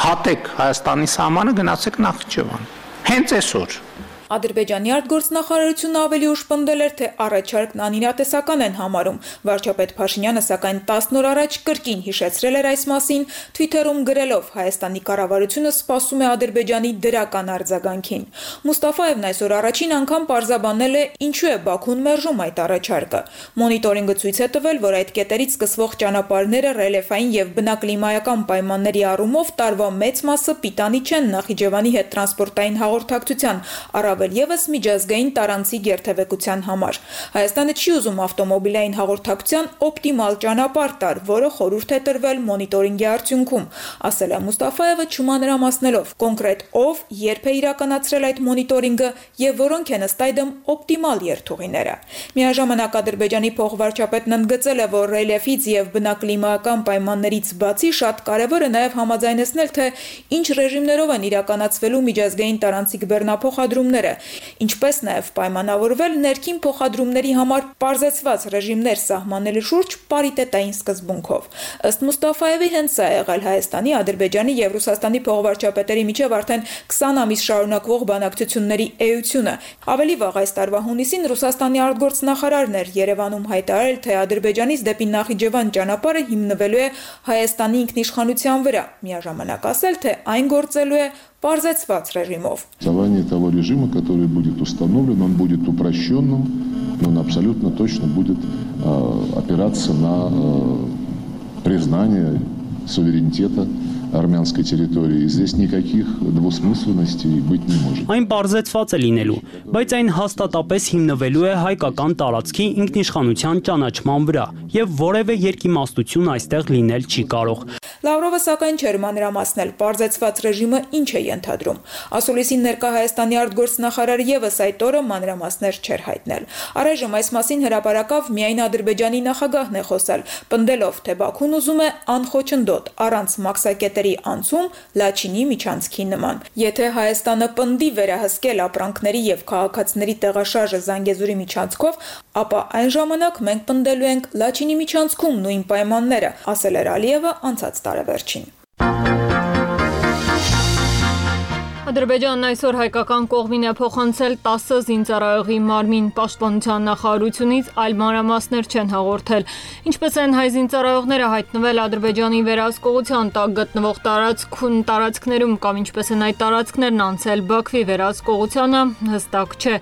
հատեք Հայաստանի սահմանը, գնացեք Նախիջևան։ Հենց այսօր Ադրբեջանի արտգործնախարարությունը ավելի ուշ պնդել էր, թե առաջարկն անիրատեսական են համարում։ Վարչապետ Փաշինյանը սակայն տասն օր առաջ կրկին հիշեցրել էր այս մասին, Twitter-ում գրելով Հայաստանի կառավարությունը սպասում է Ադրբեջանի դրական արձագանքին։ Մուստաֆաևն այսօր առաջին անգամ պարզաբանել է, ինչու է Բաքուն մերժում այդ առաջարկը։ Մոնիտորինգը ցույց է տվել, որ այդ կետերից սկսվող ճանապարհները ռելիեֆային եւ բնակլիմայական պայմանների առումով տարվա մեծ մասը պիտանի չեն Նախիջևանի հետ տրանսպորտային հաղորդակցության առավել ևս միջազգային տարանցիկ երթևեկության համար։ Հայաստանը չի ուզում ավտոմոբիլային հաղորդակցության օպտիմալ ճանապարհ տալ, որը խորհուրդ է տրվել մոնիտորինգի արդյունքում, ասել է Մուստաֆաևը չմանրամասնելով կոնկրետ ով, երբ է իրականացրել այդ մոնիտորինգը եւ որոնք են ըստ այդմ օպտիմալ երթուղիները։ Միաժամանակ Ադրբեջանի փոխվարչապետն ընդգծել է, որ ռելիեֆից եւ բնակլիմայական պայմաններից բացի շատ կարեւոր է նաեւ համաձայնեցնել, թե ինչ ռեժիմներով են իրականացվելու միջազգային տարանցիկ բեռնափոխադրումները, ինչպես նաև պայմանավորվել ներքին փոխադրումների համար պարզեցված ռեժիմներ սահմանելու շուրջ պարիտետային սկզբունքով։ Ըստ Մուստաֆաևի հենց սա է եղել Հայաստանի, Ադրբեջանի եւ Ռուսաստանի փոխվարչապետերի միջև արդեն քսան ամիս շարունակվող բանակցությունների էությունը։ Ավելի վաղ այս տարվա հունիսին Ռուսաստանի արտգործնախարարն էր Երևանում հայտարարել, թե Ադրբեջանից դեպի Նախիջևան ճանապարհը հիմնվելու է Հայաստանի ինքնիշխանության վրա, միաժամանակ ասել, թե այն գործելու է պարզեցված ռեժիմով։ Создание того режима, который будет установлен, он будет упрощенным, но он абсолютно точно будет э, опираться на э, признание суверенитета армянской территории. И здесь никаких двусмысленностей быть не может. Այն պարզեցված է լինելու, բայց այն հաստատապես հիմնվելու է հայկական տարածքի ինքնիշխանության ճանաչման վրա, եւ որևէ երկիմաստություն այստեղ լինել չի կարող։ Լավրովը սակայն չէր մանրամասնել, պարզեցված ռեժիմը ինչ է ենթադրում։ Ասուլիսին ներկա Հայաստանի արտգործնախարարը եւս այդ օրը մանրամասներ չէր հայտնել։ Առայժմ այս մասին հրապարակավ միայն Ադրբեջանի նախագահն է խոսել, պնդելով, թե Բաքուն ուզում է անխոչնդոտ, առանց մաքսակետերի անցում Լաչինի միջանցքի նման։ Եթե Հայաստանը պնդի վերահսկել ապրանքների եւ քաղաքացիների տեղաշարժը Զանգեզուրի միջանցքով, ապա այն ժամանակ մենք պնդելու ենք Լաչինի միջանցքում նույն պայմանները, ասել էր Ալիևը անցած տարեվերջին։ Ադրբեջանն այսօր հայկական կողմին է փոխանցել տասը զինծառայողի մարմին, պաշտպանության նախարարությունից այլ մանրամասներ չեն հաղորդել։ Ինչպես են հայ զինծառայողները հայտնվել Ադրբեջանի վերահսկողության տակ գտնվող տարածքուն տարածքներում կամ ինչպես են այդ տարածքներն անցել Բաքվի վերահսկողությանը, հստակ չէ։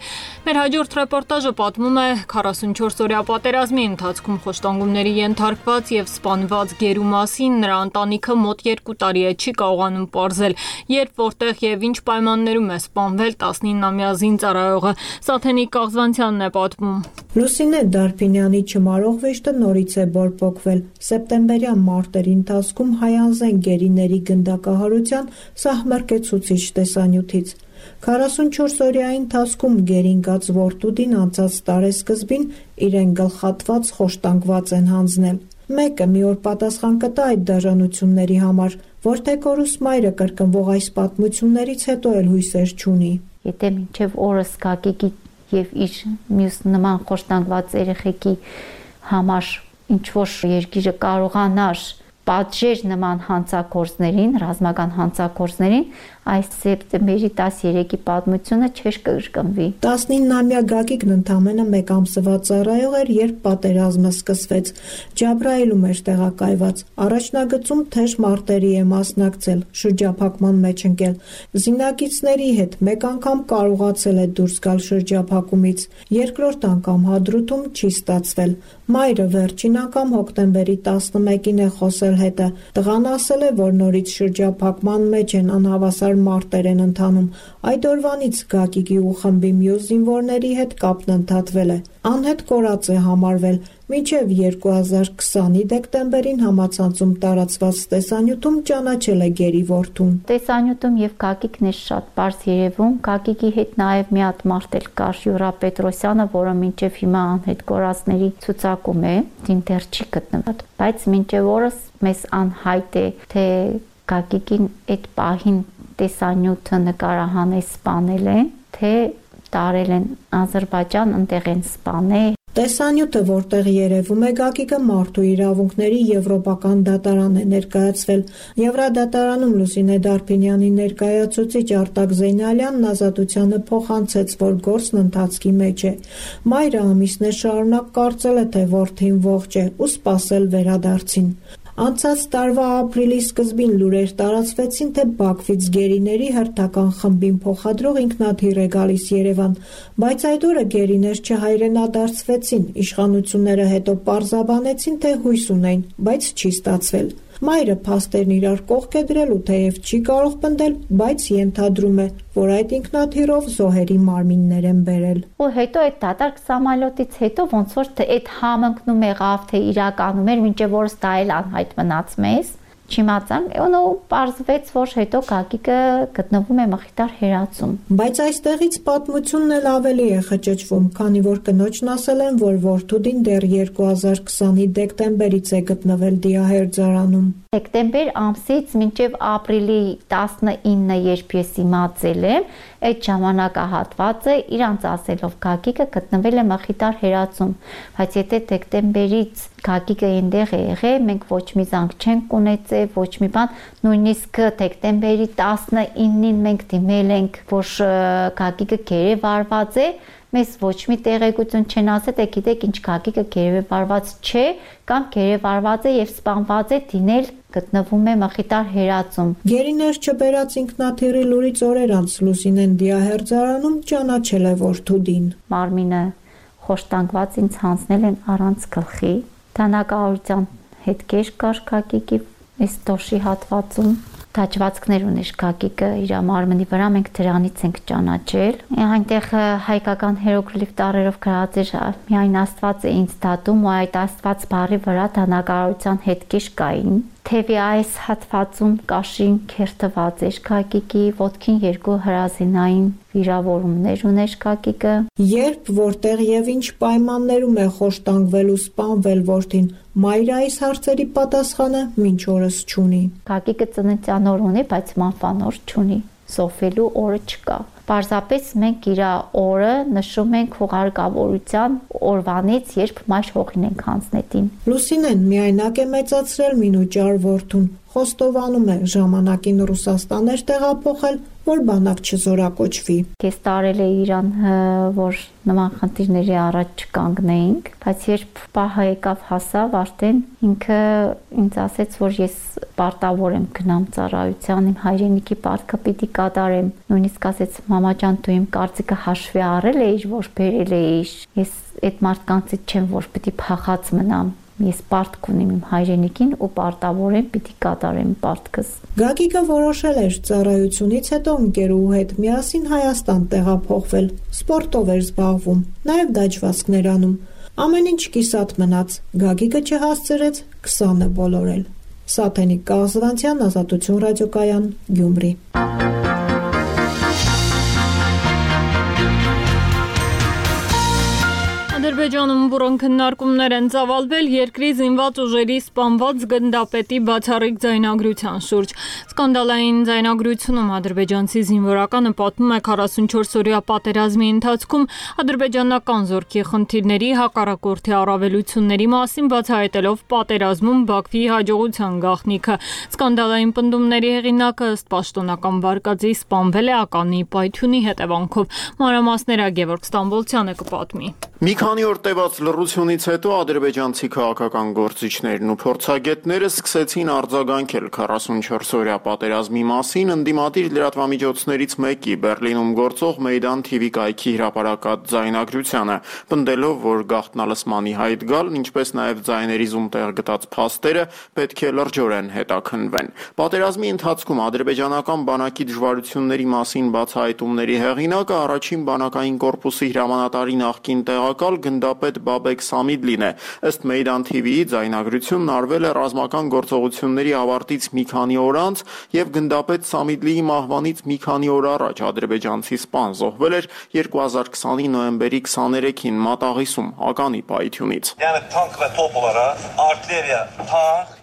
Մեր հաջորդ ռեպորտաժը պատմում է քառասունչորս օրյա պատերազմի ընթացքում խոշտանգումների ենթարկված եւ սպանված գերու մասին, նրա ընտանիքը մոտ երկու տարի է չի կարողանում պարզել, երբ որտեղ եւ ինչ պայմաններում է սպանվել տասնինամյա զինծառայողը։ Սաթենիկ Կաղզվանցյանն է պատմում։ Լուսինե Դարփինյանի չմարող վեշտը նորից է բորբոքվել։ Սեպտեմբերյան մարտերի ընթացքում հայանձեն գերիների գնդակահարության սահմռկեցուցիչ տեսանյութից։ քառասունչորս օրյայի ընթացքում գերինգած որդուդին անցած տարեսկզբին իրեն գլխատված խոշտանգված են հանձնել։ Մեկը մի օր պատասխան կտա այդ դաժանությունների համար, որտեղորուս մայրը կրկնվող այս պատմություններից հետո էլ հույսեր չունի։ Եթե մինչև օրս կակեկի եւ իր մյուս նման խոշտանգված երեխեքի համար ինչ որ երկիրը կարողանար պատժեր նման հանցագործներին, ռազմական հանցագործներին, այս սեպտեմբերի տասներեքի պատմությունը չէր կրկնվի։ տասնինամյա Գագիկն ընդամենը մեկ ամսվա ծառայող էր, երբ պատերազմը սկսվեց։ Ջաբրայիլում էր տեղակայված։ Առաջնագծում թեժ մարտերի է մասնակցել, շրջափակման մեջ ընկել։ Զինակիցների հետ մեկ անգամ կարողացել է դուրս գալ շրջափակումից, երկրորդ անգամ Հադրութում չի ստացվել։ Մայրը վերջին անգամ հոկտեմբերի տասնմեկին է խոսել հետը։ Տղան ասել է, որ նորից շրջափակման մեջ են, անհավասար փոխադարձաբար մարտեր են ընթանում։ Այդ օրվանից Գագիկի ու խմբի մյուս զինվորների հետ կապն ընդհատվել է։ Անհետ կորած է համարվել։ Մինչև երկու հազար քսանի դեկտեմբերին համացանցում տարածված տեսանյութում ճանաչել է Գերի որդուն։ Տեսանյութում եւ Գագիկն է շատ բարձ երևում։ Գագիկի հետ նաեւ մի հատ մարդ էլ կար, Յուրա Պետրոսյանը, որը մինչև հիմա անհետ կորածների ցուցակում է, դին դեռ չի գտնվել։ Բայց մինչև օրս մեզ անհայտ է, թե Գագիկին այդ պահին տեսանյութը նկարահանել սպանել են, թե տարել են Ադրբեջան, ընտեղ են սպանել։ Տեսանյութը, որտեղ երևում է Գագիկը, մարդու իրավունքների եվրոպական դատարան է ներկայացվել։ Եվրադատարանում Լուսինե Դարփինյանի ներկայացուցիչ Արտակ Զեյնալյանն ազատությանը փոխանցեց, որ գործն ընթացքի մեջ է։ Մայրը ամիսներ շարունակ կարծել է, թե որդին ողջ է ու սպասել վերադարձին։ Անցած տարվա ապրիլի սկզբին լուրեր տարածվեցին, թե Բաքվից գերիների հերթական խմբին փոխադրող ինքնաթիռ է գալիս Երևան, բայց այդ օրը գերիներ չհայրենադարձվեցին, իշխանությունները հետո պարզաբանեցին, թե հույս ունեն, բայց չի ստացվել։ Մայրը փաստերն իրար կողք է դրելու, թեև չի կարող պնդել, բայց ենթադրում է, որ այդ ինքնաթիռով զոհերի մարմիններ են բերել։ Ու հետո այդ դատարկ սամալյոտից հետո ոնց որ թե այդ համընկնում եղավ, թե իրականում էր, մինչև որս դա էլ անհայտ մնաց մեզ։ Չիմացանք, ու պարզվեց, որ հետո Գագիկը գտնվում է Մխիթար հերացում։ Բայց այստեղից պատմությունն էլ ավելի է խճճվում, քանի որ կնոջն ասել են, որ որդուդին դեռ երկու հազար քսանի դեկտեմբերից է գտնվել դիահերձարանում։ Դեկտեմբեր ամսից մինչև ապրիլի տասնինը, երբ ես իմացել եմ, այդ ժամանակահատվածը իրանց ասելով Գագիկը գտնվել է Մխիթար հերացում, բայց եթե դեկտեմբերից Գագիկը այնտեղ է եղել, մենք ոչ մի զանգ չենք ունեցել, ոչ մի բան, նույնիսկ դեկտեմբերի տասնինին մենք դիմել ենք, որ Գագիկը գերեվարված է, մեզ ոչ մի տեղեկություն չեն ասել, թե գիտեք ինչ Գագիկը գերեվարված չէ, կամ գերեվարված է եւ սպանված է, դինել գտնվում է Մխիթար հերացում։ Գերիներ չբերած ինքնաթիռի լուրից օրեր անց Լուսինեն դիահերձարանում ճանաչել է որդուդին։ Մարմինը խոշտանգված ինձ հանձնել են առանց գլխի։ Դանակահարության հետքեր կար Գագիկի այս դոշի հատվածում։ Դաջվածքներ ուներ Գագիկը իր մարմնի վրա, մենք դրանից ենք ճանաչել։ Այնտեղ հայկական հերոգլիֆ տառերով գրած էր միայն Աստված է ինձ դատում, ու այդ Աստված բառի վրա դանակահարության հետքեր կային։ Թևի այս հատվածում կաշին քերթված էր Գագիկի, ոտքին երկու հրազենային վիրավորումներ ուներ Գագիկը։ Երբ, որտեղ եւ ինչ պայմաններում է խոշտանգվել ու սպանվել որդին, մայրը այս հարցերի պատասխանը մինչ օրս չունի։ Գագիկը ծննդյան օր ունի, բայց մանվան օր չունի, սոֆելու օրը չկա։ Պարզապես մենք իր օրը նշում ենք հուղարկավորության օրվանից, երբ մայր հողին ենք հանձնետին։ Լուսինեն միայնակ է մեծացրել մինուճար որդուն, խոստովանում է ժամանակին Ռուսաստան էր տեղափոխել, որ բանակ չզորակոչվի։ Ես տարել է իրան, որ նման խնդիրների առաջ չկանգնեինք, բայց երբ պահը եկավ հասավ, արդեն ինքը ինձ ասեց, որ ես պարտավոր եմ գնամ ծառայության, իմ հայրենիքի պարտքը պիտի կատարեմ։ Նույնիսկ ասեց, մամա ջան, դու իմ կարծիքը հաշվի առել էիր, որ բերել էիր։ Ես այդ մարդկանցից չեմ, որ պիտի փախած մնամ։ Ես պարտք ունեմ իմ հայրենիքին ու պարտավոր եմ պիտի կատարեմ պարտքս։ Գագիկը որոշել էր ծառայությունից հետո ընկերուհու հետ միասին Հայաստան տեղափոխվել, սպորտով էր զբաղվում, նաև դաջվածքներ անում։ Ամեն ինչ կիսատ մնաց, Գագիկը չհասցրեց քսանը բոլորել։ Սաթենիկ Կազվանցյան, Ազատություն ռադիոկայան, Գյումրի։ Ադրբեջանում բուրոն քննարկումներ են ծավալվել երկրի զինված ուժերի սպանված գնդապետի բացառիկ ձայնագրության շուրջ։ Սկանդալային ձայնագրությունում ադրբեջանցի զինվորականը պատմում է քառասունչորս-օրյա պատերազմի ընթացքում ադրբեջանական զորքի խնդիրների, հակառակորդի առավելությունների մասին, բացահայտելով պատերազմում Բաքվի հաջողության գաղտնիքը։ Սկանդալային պնդումների հեղինակը ըստ պաշտոնական վարկածի սպանվել է ականի պայթյունի հետևանքով։ Մանրամասները Գևորգ Ստամբոլցյանը կպատմի։ Մի քանի օր տևած լռությունից հետո ադրբեջանցի քաղաքական գործիչներն ու փորձագետները սկսեցին արձագանքել քառասունչորս-օրյա պատերազմի մասին ընդդիմադիր լրատվամիջոցներից մեկի Բեռլինում գործող Մեյդան թի վի կայքի հրապարակած ձայնագրությանը, պնդելով, որ գաղտնալսմանի հայտ գալ, ինչպես նաև ձայների զում տեղ գտած փաստերը պետք է լրջորեն հետաքննվեն։ Պատերազմի ընթացքում ադրբեջանական բանակի դժվարությունների մասին բացահայտումների հեղինակը առաջին բանակային կորպուսի հրամանատարի նախկին տեղակալ գնդապետ Բաբեք Սամիդլին է։ Ըստ Մեյդան թի վիի ձայնագրությունն արվել է ռազմական գործողությունների ավարտից մի քանի օր անց եւ գնդապետ Սամիդլիի մահվանից մի քանի օր առաջ ադրբեջանցի սպան զոհվել էր երկու հազար քսանի նոյեմբերի քսաներեքին Մատաղիսում ականի պայթյունից։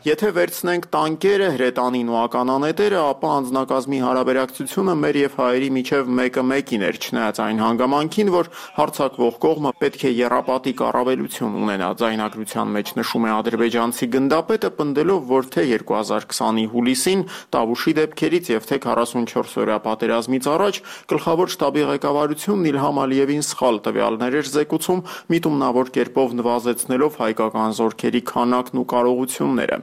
Եթե վերցնենք տանկերը, հրետանին ու ականանետերը, ապա անձնակազմի հարաբերակցությունը մեր եւ հայերի միջև մեկը մեկին էր, չնայած այն հանգամանքին, որ հարձակվող կողմը պետք է եռապատիկ առավելություն ունենա։ Ձայնագրության մեջ նշում է ադրբեջանցի գնդապետը, պնդելով, որ թե երկու հազար քսանի հուլիսին Տավուշի դեպքերից եւ թե քառասունչորս-օրյա պատերազմից առաջ գլխավոր շտաբի ղեկավարությունն Իլհամ Ալիևին սխալ տվյալներ էր զեկուցում, միտումնավոր կերպով նվազեցնելով հայկական զորքերի քանակն ու կարողությունները։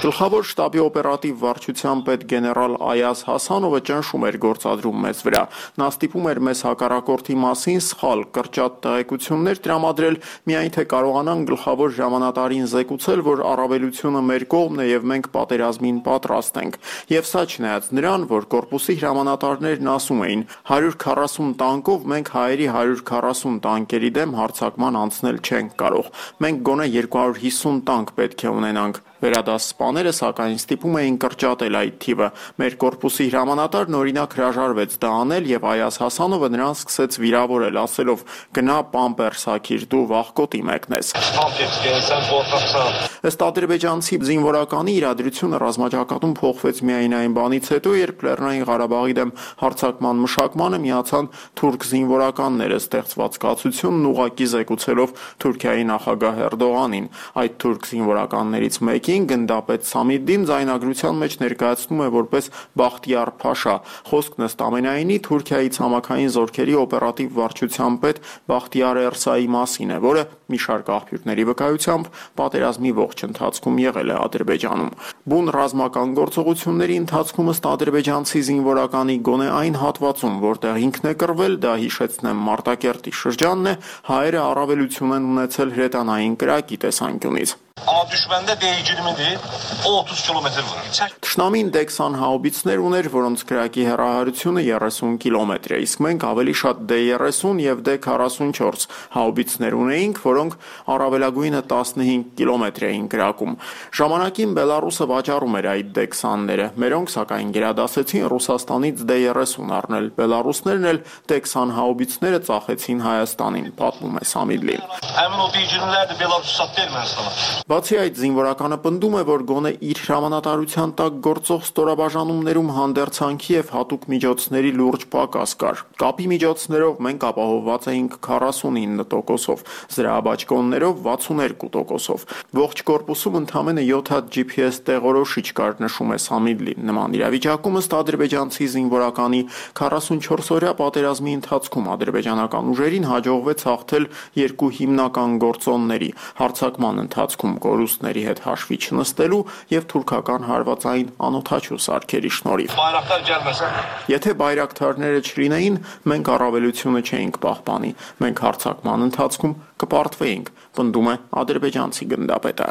Գլխավոր շտաբի օպերատիվ վարչության պետ գեներալ Այազ Հասանովը ճնշում էր գործադրում մեզ վրա։ Նա ստիպում էր մեզ հակառակորդի մասին սխալ կրճատ տեղեկություններ տրամադրել, միայն թե կարողանան գլխավոր հրամանատարին զեկուցել, որ առավելությունը մեր կողմն է եւ մենք պատերազմին պատրաստ ենք։ Եվ սա չնայած նրան, որ կորպուսի հրամանատարներն ասում էին՝ հարյուր քառասուն տանկով մենք հայերի հարյուր քառասուն տանկերի դեմ հարձակման անցնել չենք կարող։ Մենք գոնե երկու հարյուր հիսուն տանկ պետք է ունենանք։ Վերադաս սպաները սակայն ստիպում էին կրճատել այդ թիվը։ Մեր կորպուսի հրամանատարն օրինակ հրաժարվեց դա անել եւ Այազ Հասանովը նրան սկսեց վիրավորել, ասելով՝ գնա պամպերս հագիր, դու վախկոտի մեկնես։ Ըստ ադրբեջանցի զինվորականի իրադրությունը ռազմաճակատում փոխվեց միայն այն բանից հետո, երբ Լեռնային Ղարաբաղի դեմ հարձակման մշակմանը միացան թուրք զինվորականները, ստեղծված կացությունն ուղղակի զեկուցելով Թուրքիայի նախագահ Էրդողանին։ Այդ թուրք զինվորականներից մեկին գնդապետ Սամիդլին ձայնագրության մեջ ներկայացնում է որպես Բախտիար Փաշա։ Խոսքն ըստ ամենայնի Թուրքիայի ցամաքային զորքերի օպերատիվ վարչության պետ Բախտիար Էրսայի մասին է, որը մի շարք աղբյուրների վկայությամբ պատերազմի ողջ ընթացքում եղել է Ադրբեջանում։ Բուն ռազմական գործողությունների ընթացքում ըստ ադրբեջանցի զինվորականի գոնե այն հատվածում, որտեղ ինքն է կռվել, դա հիշեցնեմ Մարտակերտի շրջանն է, հայերը առավելություն են ունեցել հրետանային կրակի տեսանկյունից։ Թշնամին դե քսան հաուբիցներ ուներ, որոնց կրակի հեռահարությունը երեսուն կիլոմետր է, իսկ մենք ավելի շատ դե երեսուն եւ դե քառասունչորս հաուբիցներ ունեինք, որոնք առավելագույնը տասնհինգ կիլոմետր էին կրակում։ Ժամանակին Բելարուսը վաճառում էր այդ դե քսանները, մերոնք սակայն գերադասեցին Ռուսաստանից դե երեսուն առնել։ Բելարուսներն էլ դե քսան հաուբիցները ծախեցին Հայաստանին, պատմում է Սամիդլին։ Բացի այդ, զինվորականը պնդում է, որ գոնե իր հրամանատարության տակ գործող ստորաբաժանումներում հանդերձանքի եւ հատուկ միջոցների լուրջ պակաս կար։ Կապի միջոցներով մենք ապահովված էինք քառասունինը տոկոսով, զրահաբաճկոններով վաթսունհինգ տոկոսով։ Ողջ կորպուսում ընդամենը յոթ հատ ջի փի էս տեղորոշիչ կար, նշում է Սամիդլին։ Նման իրավիճակում ըստ ադրբեջանցի զինվորականի քառասունչորս-օրյա պատերազմի ընթացքում ադրբեջանական ուժերին հաջողվեց հաղթել երկու հիմնական գործոնների՝ հարձակման ընթացքում կորուստների հետ հաշվի չնստելու եւ թուրքական հարվածային անօթաչու սարքերի շնորհիվ։ Եթե բայրակթարները չլինեին, մենք առավելությունը չէինք պահպանի։ Մենք հարձակման ընթացքում կպարտվեինք, պնդում է ադրբեջանցի գնդապետը։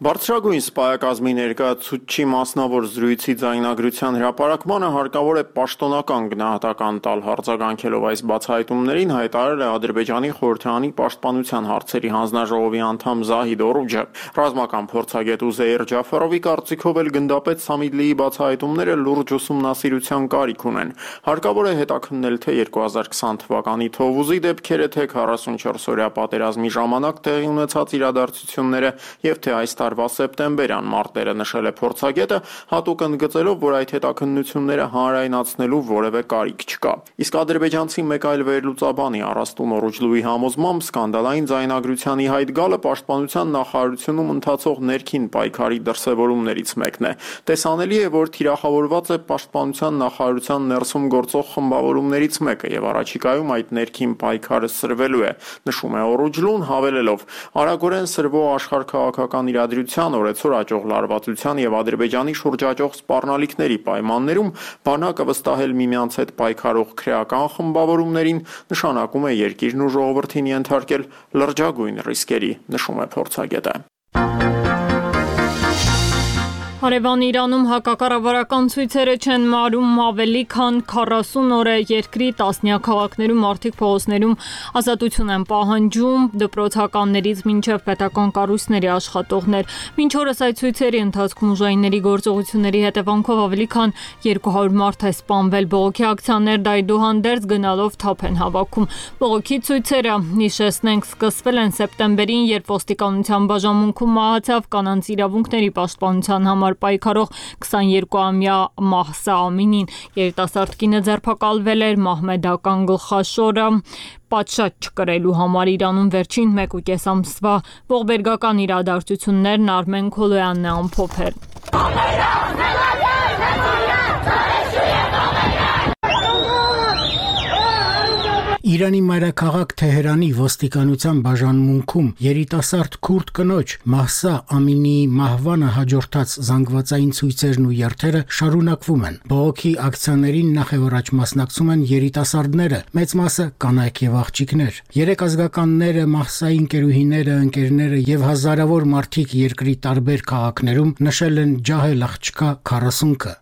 Բարձրագույն սպայակազմի ներկայացուցչի մասնավոր զրույցի ձայնագրության հրապարակմանը հարկավոր է պաշտոնական գնահատական տալ, արձագանքելով այս բացահայտումներին հայտարարել է Ադրբեջանի խորհրդարանի պաշտպանության հարցերի հանձնաժողովի անդամ Զահիդ Օրուջը։ Ռազմական փորձագետ Ուզեյր Ջաֆարովի կարծիքով էլ գնդապետ Սամիդլիի բացահայտումները լուրջ ուսումնասիրության կարիք ունեն։ Հարկավոր է հետաքննել թե երկու հազար քսան թվականի Թովուզի դեպքերը, թե քառասունչորս օրյա պատերազմի ժամանակ տեղի ունեցած իրադարձությունները եւ թե այս տարվա սեպտեմբերյան մարտերը, նշել է փորձագետը, հատուկ ընդգծելով, որ այդ հետաքննությունները հանրայնացնելու որևէ կարիք չկա։ Իսկ ադրբեջանցի մեկ այլ վերլուծաբանի Արաստուն Օրուջլուի համոզմամբ սկանդալային ձայնագրության ի հայտ գալը պաշտպանության նախարարությունում ընթացող ներքին պայքարի դրսևորումներից մեկն է։ Տեսանելի է, որ թիրախավորված է պաշտպանության նախարարության ներսում գործող խմբավորումներից մեկը եւ առաջիկայում այդ ներքին պայքարը սրվելու է, նշում է Օրուջլուն, հավելելով. արագորեն սրվող աշխարհքաղաքական իրադրության, օրեցօր աճող լարվածության եւ Ադրբեջանի շուրջ աճող սպառնալիքների պայմաններում բանակը վստահել միմյանց հետ պայքարող քրեական խմբավորումներին նշանակում է երկիրն ու ժողովրդին ենթարկել լրջագույն ռիսկերի, նշում է փորձագետը։ Հարևան Իրանում հակակառավարական ցույցերը չեն մարում ավելի քան քառասուն օր է երկրի տասնյակ քաղաքներում արդիկ փողոցներում ազատություն են պահանջում դպրոցականներից մինչև պետական կառույցների աշխատողներ։ Մինչ օրս այդ ցույցերի ընթացքում ուժայինների գործողությունների հետևանքով ավելի քան երկու հարյուր մարդ է սպանվել, բողոքի ակցիաներ դայդուհանդերձ գնալով թափ են հավաքում։ Բողոքի ցույցերը, հիշեցնենք, սկսվել են սեպտեմբերին, երբ ոստիկանության բաժանմունքում մահացավ կանանց իրավունքների պաշտպանության համար պայքարող քսաներկուամյա Մահսա Ամինին։ Երիտասարդ կինը ձերբակալվել էր մահմեդական գլխաշորը պատշաճ չկրելու համար։ Իրանում վերջին մեկ ու կես ամսվա ողբերգական իրադարձություններն Արմեն Քոլոյանն է ամփոփել։ Իրանի մայրաքաղաք Թեհրանի ոստիկանության բաժանմունքում երիտասարդ քուրդ կնոջ Մահսա Ամինիի մահվանը հաջորդած զանգվածային ցույցերն ու երթերը շարունակվում են։ Բողոքի ակցիաներին նախևառաջ մասնակցում են երիտասարդները, մեծ մասը կանայք եւ աղջիկներ։ Երեք ազգականները, Մահսայի ընկերուհիները, ընկերները եւ հազարավոր մարդիկ երկրի տարբեր քաղաքներում նշել են ջահել աղջկա քառասունքը։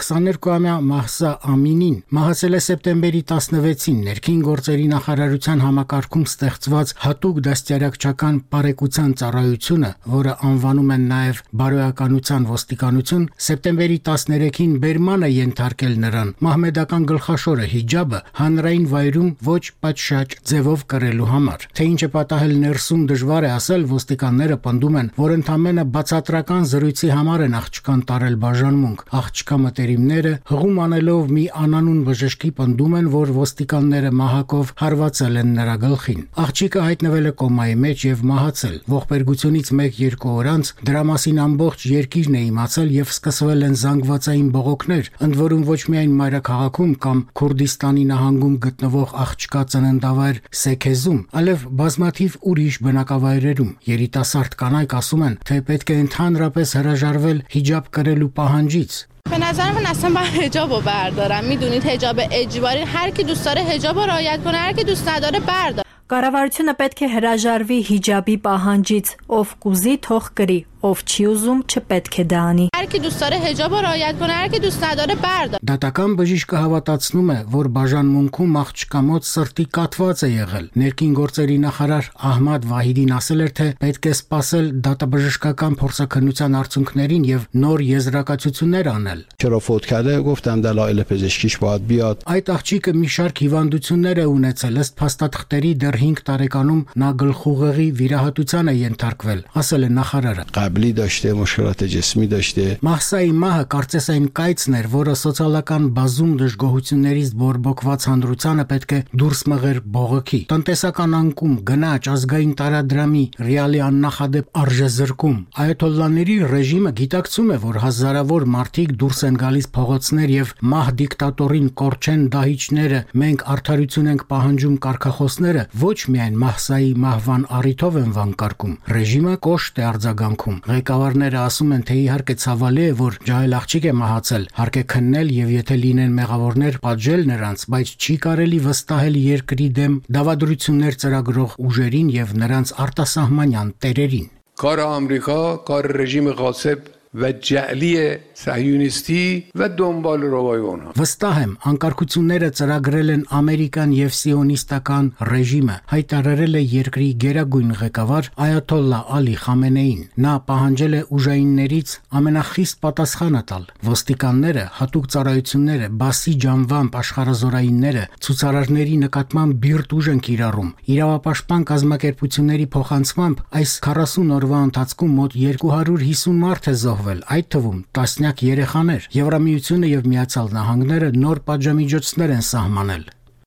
քսաներկուամյա Մահսա Ամինին մահացել է սեպտեմբերի տասնվեցին ներքին գործերի նախարարության համակարգում ստեղծված հատուկ դաստիարակչական բարեկության ծառայությունը, որը անվանում են նաև բարոյականության ոստիկանություն, սեպտեմբերի տասներեքին բերման է ենթարկել նրան մահմեդական գլխաշորը հիջաբը հանրային վայրում ոչ պատշաճ ձևով կրելու համար։ Թե ինչ է պատահել ներսում դժվար է ասել, ոստիկանները պնդում են, որ ընդամենը բացատրական զրույցի համար են աղջկան տարել բաժանմունք։ Աղջկա մտերիմները հղում անելով մի անանուն բժշկի պնդում են, որ ոստիկանները մահակով հարվածել են նրա գլխին։ Աղջիկը հայտնվել է կոմայի մեջ եւ մահացել։ Ողբերգությունից մեկ-երկու օր անց դրա մասին ամբողջ երկիրն է իմացել եւ սկսվել են զանգվածային բողոքներ, ընդ որում ոչ միայն մայրաքաղաքում կամ Քուրդիստանի նահանգում գտնվող աղջկա ծննդավայր Սեքեզում, այլև բազմաթիվ ուրիշ բնակավայրերում։ Երիտասարդ կանայք ասում են, թե պետք է ընդհանրապես հրաժարվել հիջաբ կրելու պահանջից։ به نظر من اصلا باید حجاب رو بردارم. میدونید حجاب اجباری، هر کی دوست داره حجاب رو رعایت کنه، هر کی دوست نداره برداره. Կառավարությունը պետք է հրաժարվի հիջաբի պահանջից, ով կուզի թող կրի, ով չի ուզում չպետք է դա անի։ هر کی دوست داره حجاب رو رعایت کنه، هر کی دوست نداره برداره. Դատական բժիշկը հավատացնում է, որ բաժանմունքում աղջկա մոտ սրտի կաթված է եղել։ Ներքին գործերի նախարար Ահմադ Վահիդին ասել էր, թե պետք է սպասել դատաբժշկական փորձաքննության արդյունքներին եւ նոր եզրակացություններ անել։ چرا فوت کرده گفتم دلایل پزشکیش باید بیاد. Այդ աղջիկը մի շարք հիվանդություններ է ունեցել, ըստ փաստաթղթերի դեռ հինգ տարեկանում նա գլխուղեղի վիրահատության է ենթարկվել, ասել է նախարարը։ قبلی داشته مشکلات جسمی داشته. Մահսայի մահը կարծես այն կայծն էր, որը սոցիալական բազում դժգոհություններից բորբոքված հանրությանը պետք է դուրս մղեր բողոքի։ Տնտեսական անկում, գնաճ, ազգային տարադրամի, ռեալի աննախադեպ արժեզրկում։ Այաթոլլաների ռեժիմը գիտակցում է, որ հազարավոր մարդիկ դուրս են գալիս փողոցներ եւ մահ դիկտատորին կորչեն դահիճները, մենք արդարություն ենք պահանջում կարգախոսները ոչ միայն Մահսայի մահվան առիթով են վանկարկում։ Ռեժիմը կոշտ է արձագանքում։ Ղեկավարները ասում են, թե իհարկե ցավալի է, որ ջահել աղջիկ է մահացել, հարկ է քննել եւ եթե լինեն մեղավորներ, պատժել նրանց, բայց չի կարելի վստահել երկրի դեմ դավադրություններ ծրագրող ուժերին եւ նրանց արտասահմանյան տերերին։ Կար Ամերիկա, կար ռեժիմը Ղասեբ و جعلی صهیونیستی و دنبال روای اونها. Վստահ եմ, անկարգությունները ծրագրել են ամերիկան եւ սիոնիստական ռեժիմը, հայտարարել է երկրի գերագույն ղեկավար Այաթոլլա Ալի Խամենեին։ Նա պահանջել է ուժայիններից ամենախիստ պատասխանը տալ։ Ոստիկանները, հատուկ ծառայությունները, բասի ջանվամբ աշխարհազորայինները ցուցարարների նկատմամբ բիրտ ուժ են կիրառում։ Իրավապաշտպան կազմակերպությունների փոխանցմամբ այս քառասուն օրվա ընթացքում մոտ երկու հարյուր հիսուն մարդ է զոհվել, այդ թվում տասնյակ երեխաներ։ Եվրամիությունը եւ Միացյալ Նահանգները նոր պատժամիջոցներ են սահմանել։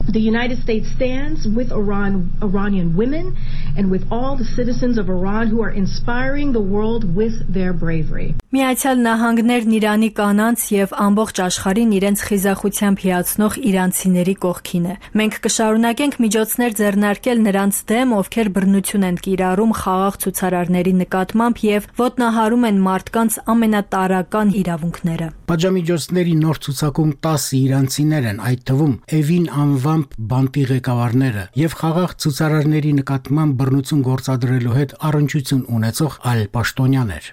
The United States stands with Iran, Iranian women and with all the citizens of Iran who are inspiring the world with their bravery. Միացյալ Նահանգներն Իրանի կանանց եւ ամբողջ աշխարհին իրենց խիզախությամբ հիացնող իրանցիների կողքին է։ Մենք կշարունակենք միջոցներ ձեռնարկել նրանց դեմ, ովքեր բռնություն են կիրառում խաղաղ ցուցարարների նկատմամբ եւ ոտնահարում են մարդկանց ամենատարրական իրավունքները։ Պատժամիջոցների նոր ցուցակում տասը իրանցիներ են, այդ թվում Էվին անվամբ բանտի ղեկավարները եւ խաղաղ ցուցարարների նկատմամբ բռնություն գործադրելու հետ առնչություն ունեցող այլ պաշտոնյաներ։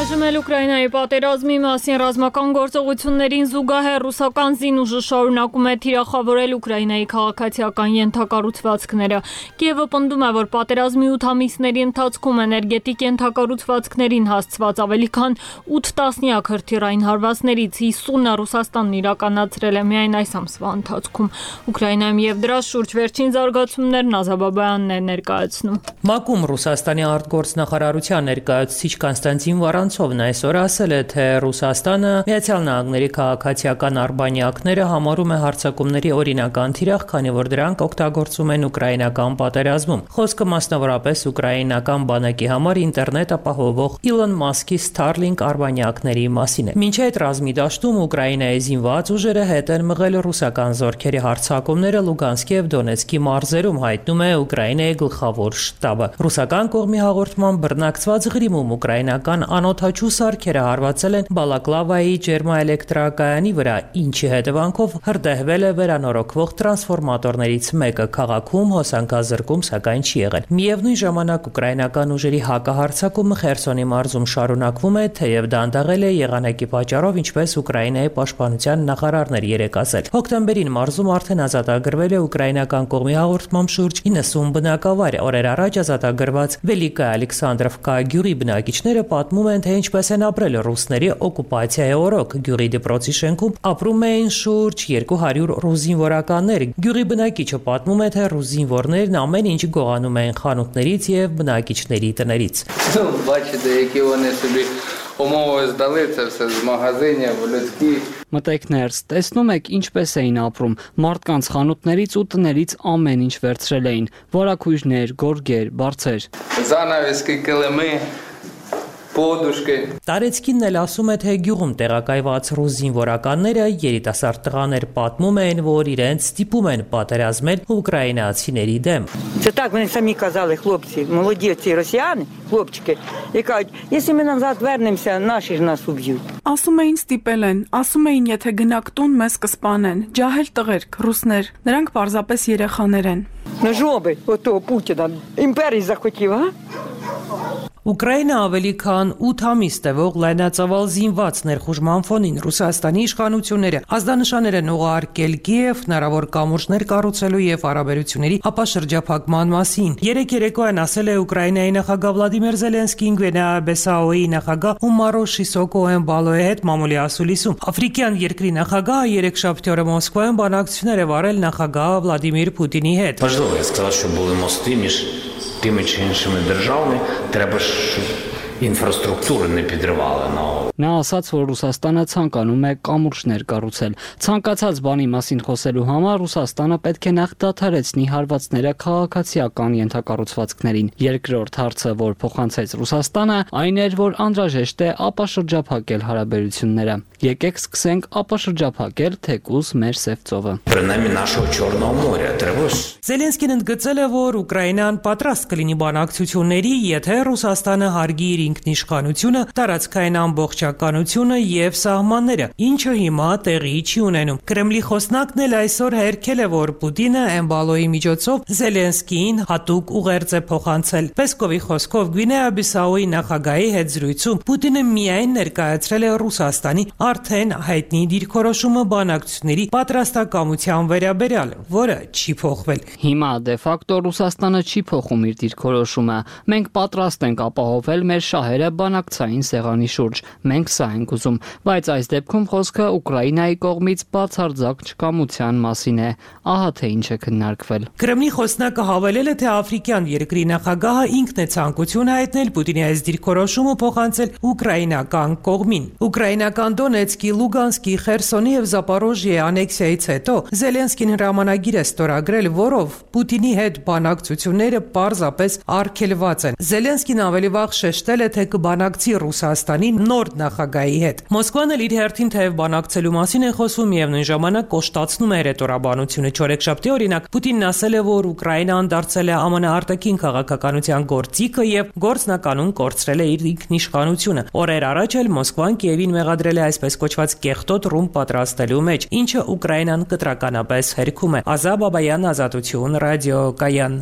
Այժմ Ուկրաինայի պատերազմի մասին ռազմական գործողություններին զուգահեռ ռուսական զինուժը շարունակում է թիրախավորել Ուկրաինայի քաղաքացիական ենթակառուցվածքները։ Կիևը պնդում է, որ պատերազմի ութ ամիսների ընթացքում էներգետիկ ենթակառուցվածքներին հասցված ավելի քան ութ տասնյակ հրթիռային հարվածներից հիսունը Ռուսաստանն իրականացրել է միայն այս ամսվա ընթացքում։ Ուկրաինայում եւ դրա շուրջ վերջին զարգացումներն Ազաբաբյանն է ներկայացնում։ ՄԱԿ-ում Ռուսաստանի արտգործնախարարության ներկայացուցիչ Կոնստանտին Վարանցովն այսօր ասել է, թե Ռուսաստանը Միացյալ Նահանգների քաղաքացիական արբանյակները համարում է հարձակումների օրինական թիրախ, քանի որ դրանք օգտագործում են ուկրաինական պատերազմում։ Խոսքը մասնավորապես ուկրաինական բանակի համար ինտերնետ ապահովող Իլոն Մասկի Starlink արբանյակների մասին է։ Մինչ այդ ռազմի դաշտում Ուկրաինայի զինված ուժերը հետ են մղել ռուսական զորքերի հարձակումները Լուգանսկի եւ Դոնեցկի մարզերում, հայտնում է Ուկրաինայի գլխավոր շտաբը։ Ռուսական կողմի հաղորդման բռնակցված Ղրիմում ուկրաինական անօդաչու սարքերը հարվածել են Բալակլավայի ջերմաէլեկտրակայանի վրա, ինչի հետևանքով հրդեհվել է վերանորոգվող տրանսֆորմատորներից մեկը։ Քաղաքում հոսանքազրկում սակայն չի եղել։ Միևնույն ժամանակ ուկրաինական ուժերի հակահարձակումը Խերսոնի մարզում շարունակվում է, թեև դանդաղել է եղանակի պատճառով, ինչպես Ուկրաինայի պաշտպանության նախարարն էր երեկ ասել։ Հոկտեմբերին մարզում արդեն ազատագրվել է ուկրաինական կողմի հաղորդմամբ շուրջ իննսուն բնակավար։ Օրեր առաջ ազատագրված Վելիկա Ալեքսանդրովկա գյուղի բնակիչները պատմում են, թե ինչպես են ապրել ռուսների օկուպացիայի օրոք։ Գյուղի դպրոցի շենքում ապրում էին շուրջ երկու հարյուր ռուս զինվորականներ։ Գյուղի բնակիչը պատմում է, թե ռուս զինվորներն ամեն ինչ գողանում էին խանութներից եւ բնակիչների տներից։ Բачите, які вони собі умови здали, це все з магазинів, людські. Մտեք ներս, տեսնում եք ինչպես էին ապրում, մարդկանց խանութներից ու տներից ամեն ինչ վերցրել էին, վարակույրներ, գորգեր, բարձեր։ Занавески, կլիմի, Պոդուշկե։ Տարեցկինն էլ ասում է, թե գյուղում տեղակայված ռուս զինվորականները երիտասարդ տղաներ պատմում են, որ իրենց ստիպում են պատերազմել ուկրաինացիների դեմ։ Це так вони самі казали, хлопці, молоді ці росіяни, хлопчики, і кажуть, якщо ми назад вернемося, наші ж нас уб'ють. Ասում էին ստիպել են, ասում էին, եթե գնաք տուն, մեզ կսպանեն։ Ջահել տղերք, ռուսներ, նրանք պարզապես երեխաներ են։ На жоби отого Путіна імперії захотів, а? Ուկրաինա ավելի քան ութ ամիս տևող լայնածավալ զինված ներխուժման ֆոնին Ռուսաստանի իշխանությունները ազդանշաններ են ուղարկել Կիև հնարավոր կամուրջներ կառուցելու եւ հարաբերությունների ապաշրջափակման մասին։ Երեք երեկոյան ասել է Ուկրաինայի նախագահ Վլադիմիր Զելենսկին Գվինեա-Բիսաուի նախագահ Ումարո Շիսոկոեն Բալոյի հետ մամուլի ասուլիսում։ Աֆրիկյան երկրի նախագահը երեքշաբթի օրը Մոսկվայում բանակցություններ է վարել նախագահ Վլադիմիր Պուտինի հետ։ Важливо, я сказав, що були мости між тими чи іншими державами, треба ж інфраструктуру не підривали на Նա ասաց, որ Ռուսաստանը ցանկանում է կամուրջներ կառուցել։ Ցանկացած բանի մասին խոսելու համար Ռուսաստանը պետք է նախ դադարեցնի հարվածները քաղաքացիական ենթակառուցվածքներին։ Երկրորդ հարցը, որ փոխանցեց Ռուսաստանը, այն էր, որ անհրաժեշտ է ապաշրջափակել հարաբերությունները։ Եկեք սկսենք ապաշրջափակել թեկուզ մեր Սև ծովը։ Принаймні нашого Чорного моря треба ж Զելենսկին ընդգծել է, որ Ուկրաինան պատրաստ կլինի բանակցությունների, եթե Ռուսաստանը հարգի իր ինքնիշխանությունը, տարածքային ամբողջականությունը եւ սահմանները, ինչը հիմա տեղի չի ունենում։ Կրեմլի խոսնակն էլ այսօր հերքել է, որ Պուտինը էմբալոյի միջոցով Զելենսկիին հատուկ ուղերձ է փոխանցել։ Պեսկովի խոսքով Գվինեա-Բիսաուի նախագահի հետ զրույցում Պուտինը միայն ներկայացրել է Ռուսաստանի արդեն հայտնի դիրքորոշումը բանակցությունների պատրաստակամության վերաբերյալ, որը չի փոխվել։ Հիմա դե ֆակտո Ռուսաստանը չի փոխում իր դիրքորոշումը։ Մենք պատրաստ ենք ապահովել մեր շահերը բանակցային սեղանի շուրջ։ Մենք սա ենք ուզում, բայց այս դեպքում խոսքը Ուկրաինայի կողմից բացարձակ չկամության մասին է։ Ահա թե ինչ է քննարկվել։ Կրեմլի խոսնակը հավելել է, թե աֆրիկյան երկրի նախագահը ինքն է ցանկություն հայտնել Պուտինի այս դիրքորոշումը փոխանցել ուկրաինական կողմին։ Ուկրաինական Դոնեցկի, Լուգանսկի, Խերսոնի եւ Զապորոժիայի անեքսիայից հետո Զելենսկին հրամանագիր է ստորագրել, որով Պուտինի հետ բանակցությունները պարզապես արգելված են։ Զելենսկին ավելի վաղ շեշտել է, թե կբանակցի Ռուսաստանի նոր նախագահի հետ։ Մոսկվան էլ իր հերթին թեև բանակցելու մասին է խոսում եւ նույն ժամանակ կոշտացնում է հրետորաբանությունը։ Չորեքշաբթի օրինակ Պուտինն ասել է, որ Ուկրաինան դարձել է ԱՄՆ արտաքին քաղաքականության գործիքը եւ գործնականում կորցրել է իր ինքնիշխանությունը։ Օրեր առաջ էլ Մոսկվան Կիևին մեղադրել է այսպես կոչված կեղտոտ ռումբ պատրաստելու մեջ, ինչը Ուկրաինան կտրականապես հերքում է։ Ազա Բաբայան, Ազատություն, ռադիոկայան։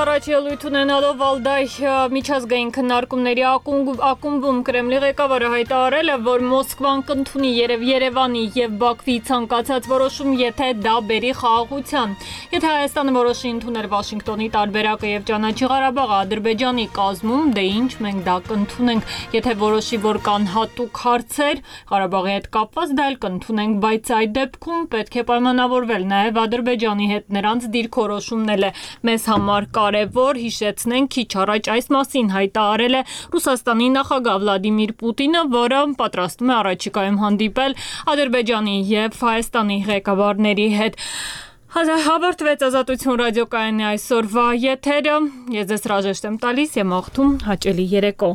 Առաջ ելույթ ունենալով Վալդայ միջազգային քննարկումների ակումբում Կրեմլի ղեկավարը հայտարարել է, որ Մոսկվան կընդունի երև Երևանի եւ Բաքվի ցանկացած որոշում, եթե դա բերի խաղաղության։ Եթե Հայաստանը որոշի ընդունել Վաշինգտոնի տարբերակը եւ ճանաչի Ղարաբաղը Ադրբեջանի կազմում, դե ինչ մենք դա կընդունենք։ Եթե որոշի, որ կան հատուկ հարցեր Ղարաբաղի հետ կապված, դա էլ կընդունենք, բայց այդ դեպքում պետք է պայմանավորվել նաեւ Ադրբեջանի հետ նրանց դիրքորոշումն է մեզ համար կարևոր, հիշեցնենք, քիչ առաջ այս մասին հայտարարել է Ռուսաստանի նախագահ Վլադիմիր Պուտինը, որը պատրաստվում է առաջիկայում հանդիպել Ադրբեջանի եւ Հայաստանի ղեկավարների հետ։ Հավարտվեց Ազատություն ռադիոկայանի այսօրվա եթերը։ Ես ձեզ հրաժեշտ եմ տալիս եւ մաղթում հաճելի երեկո։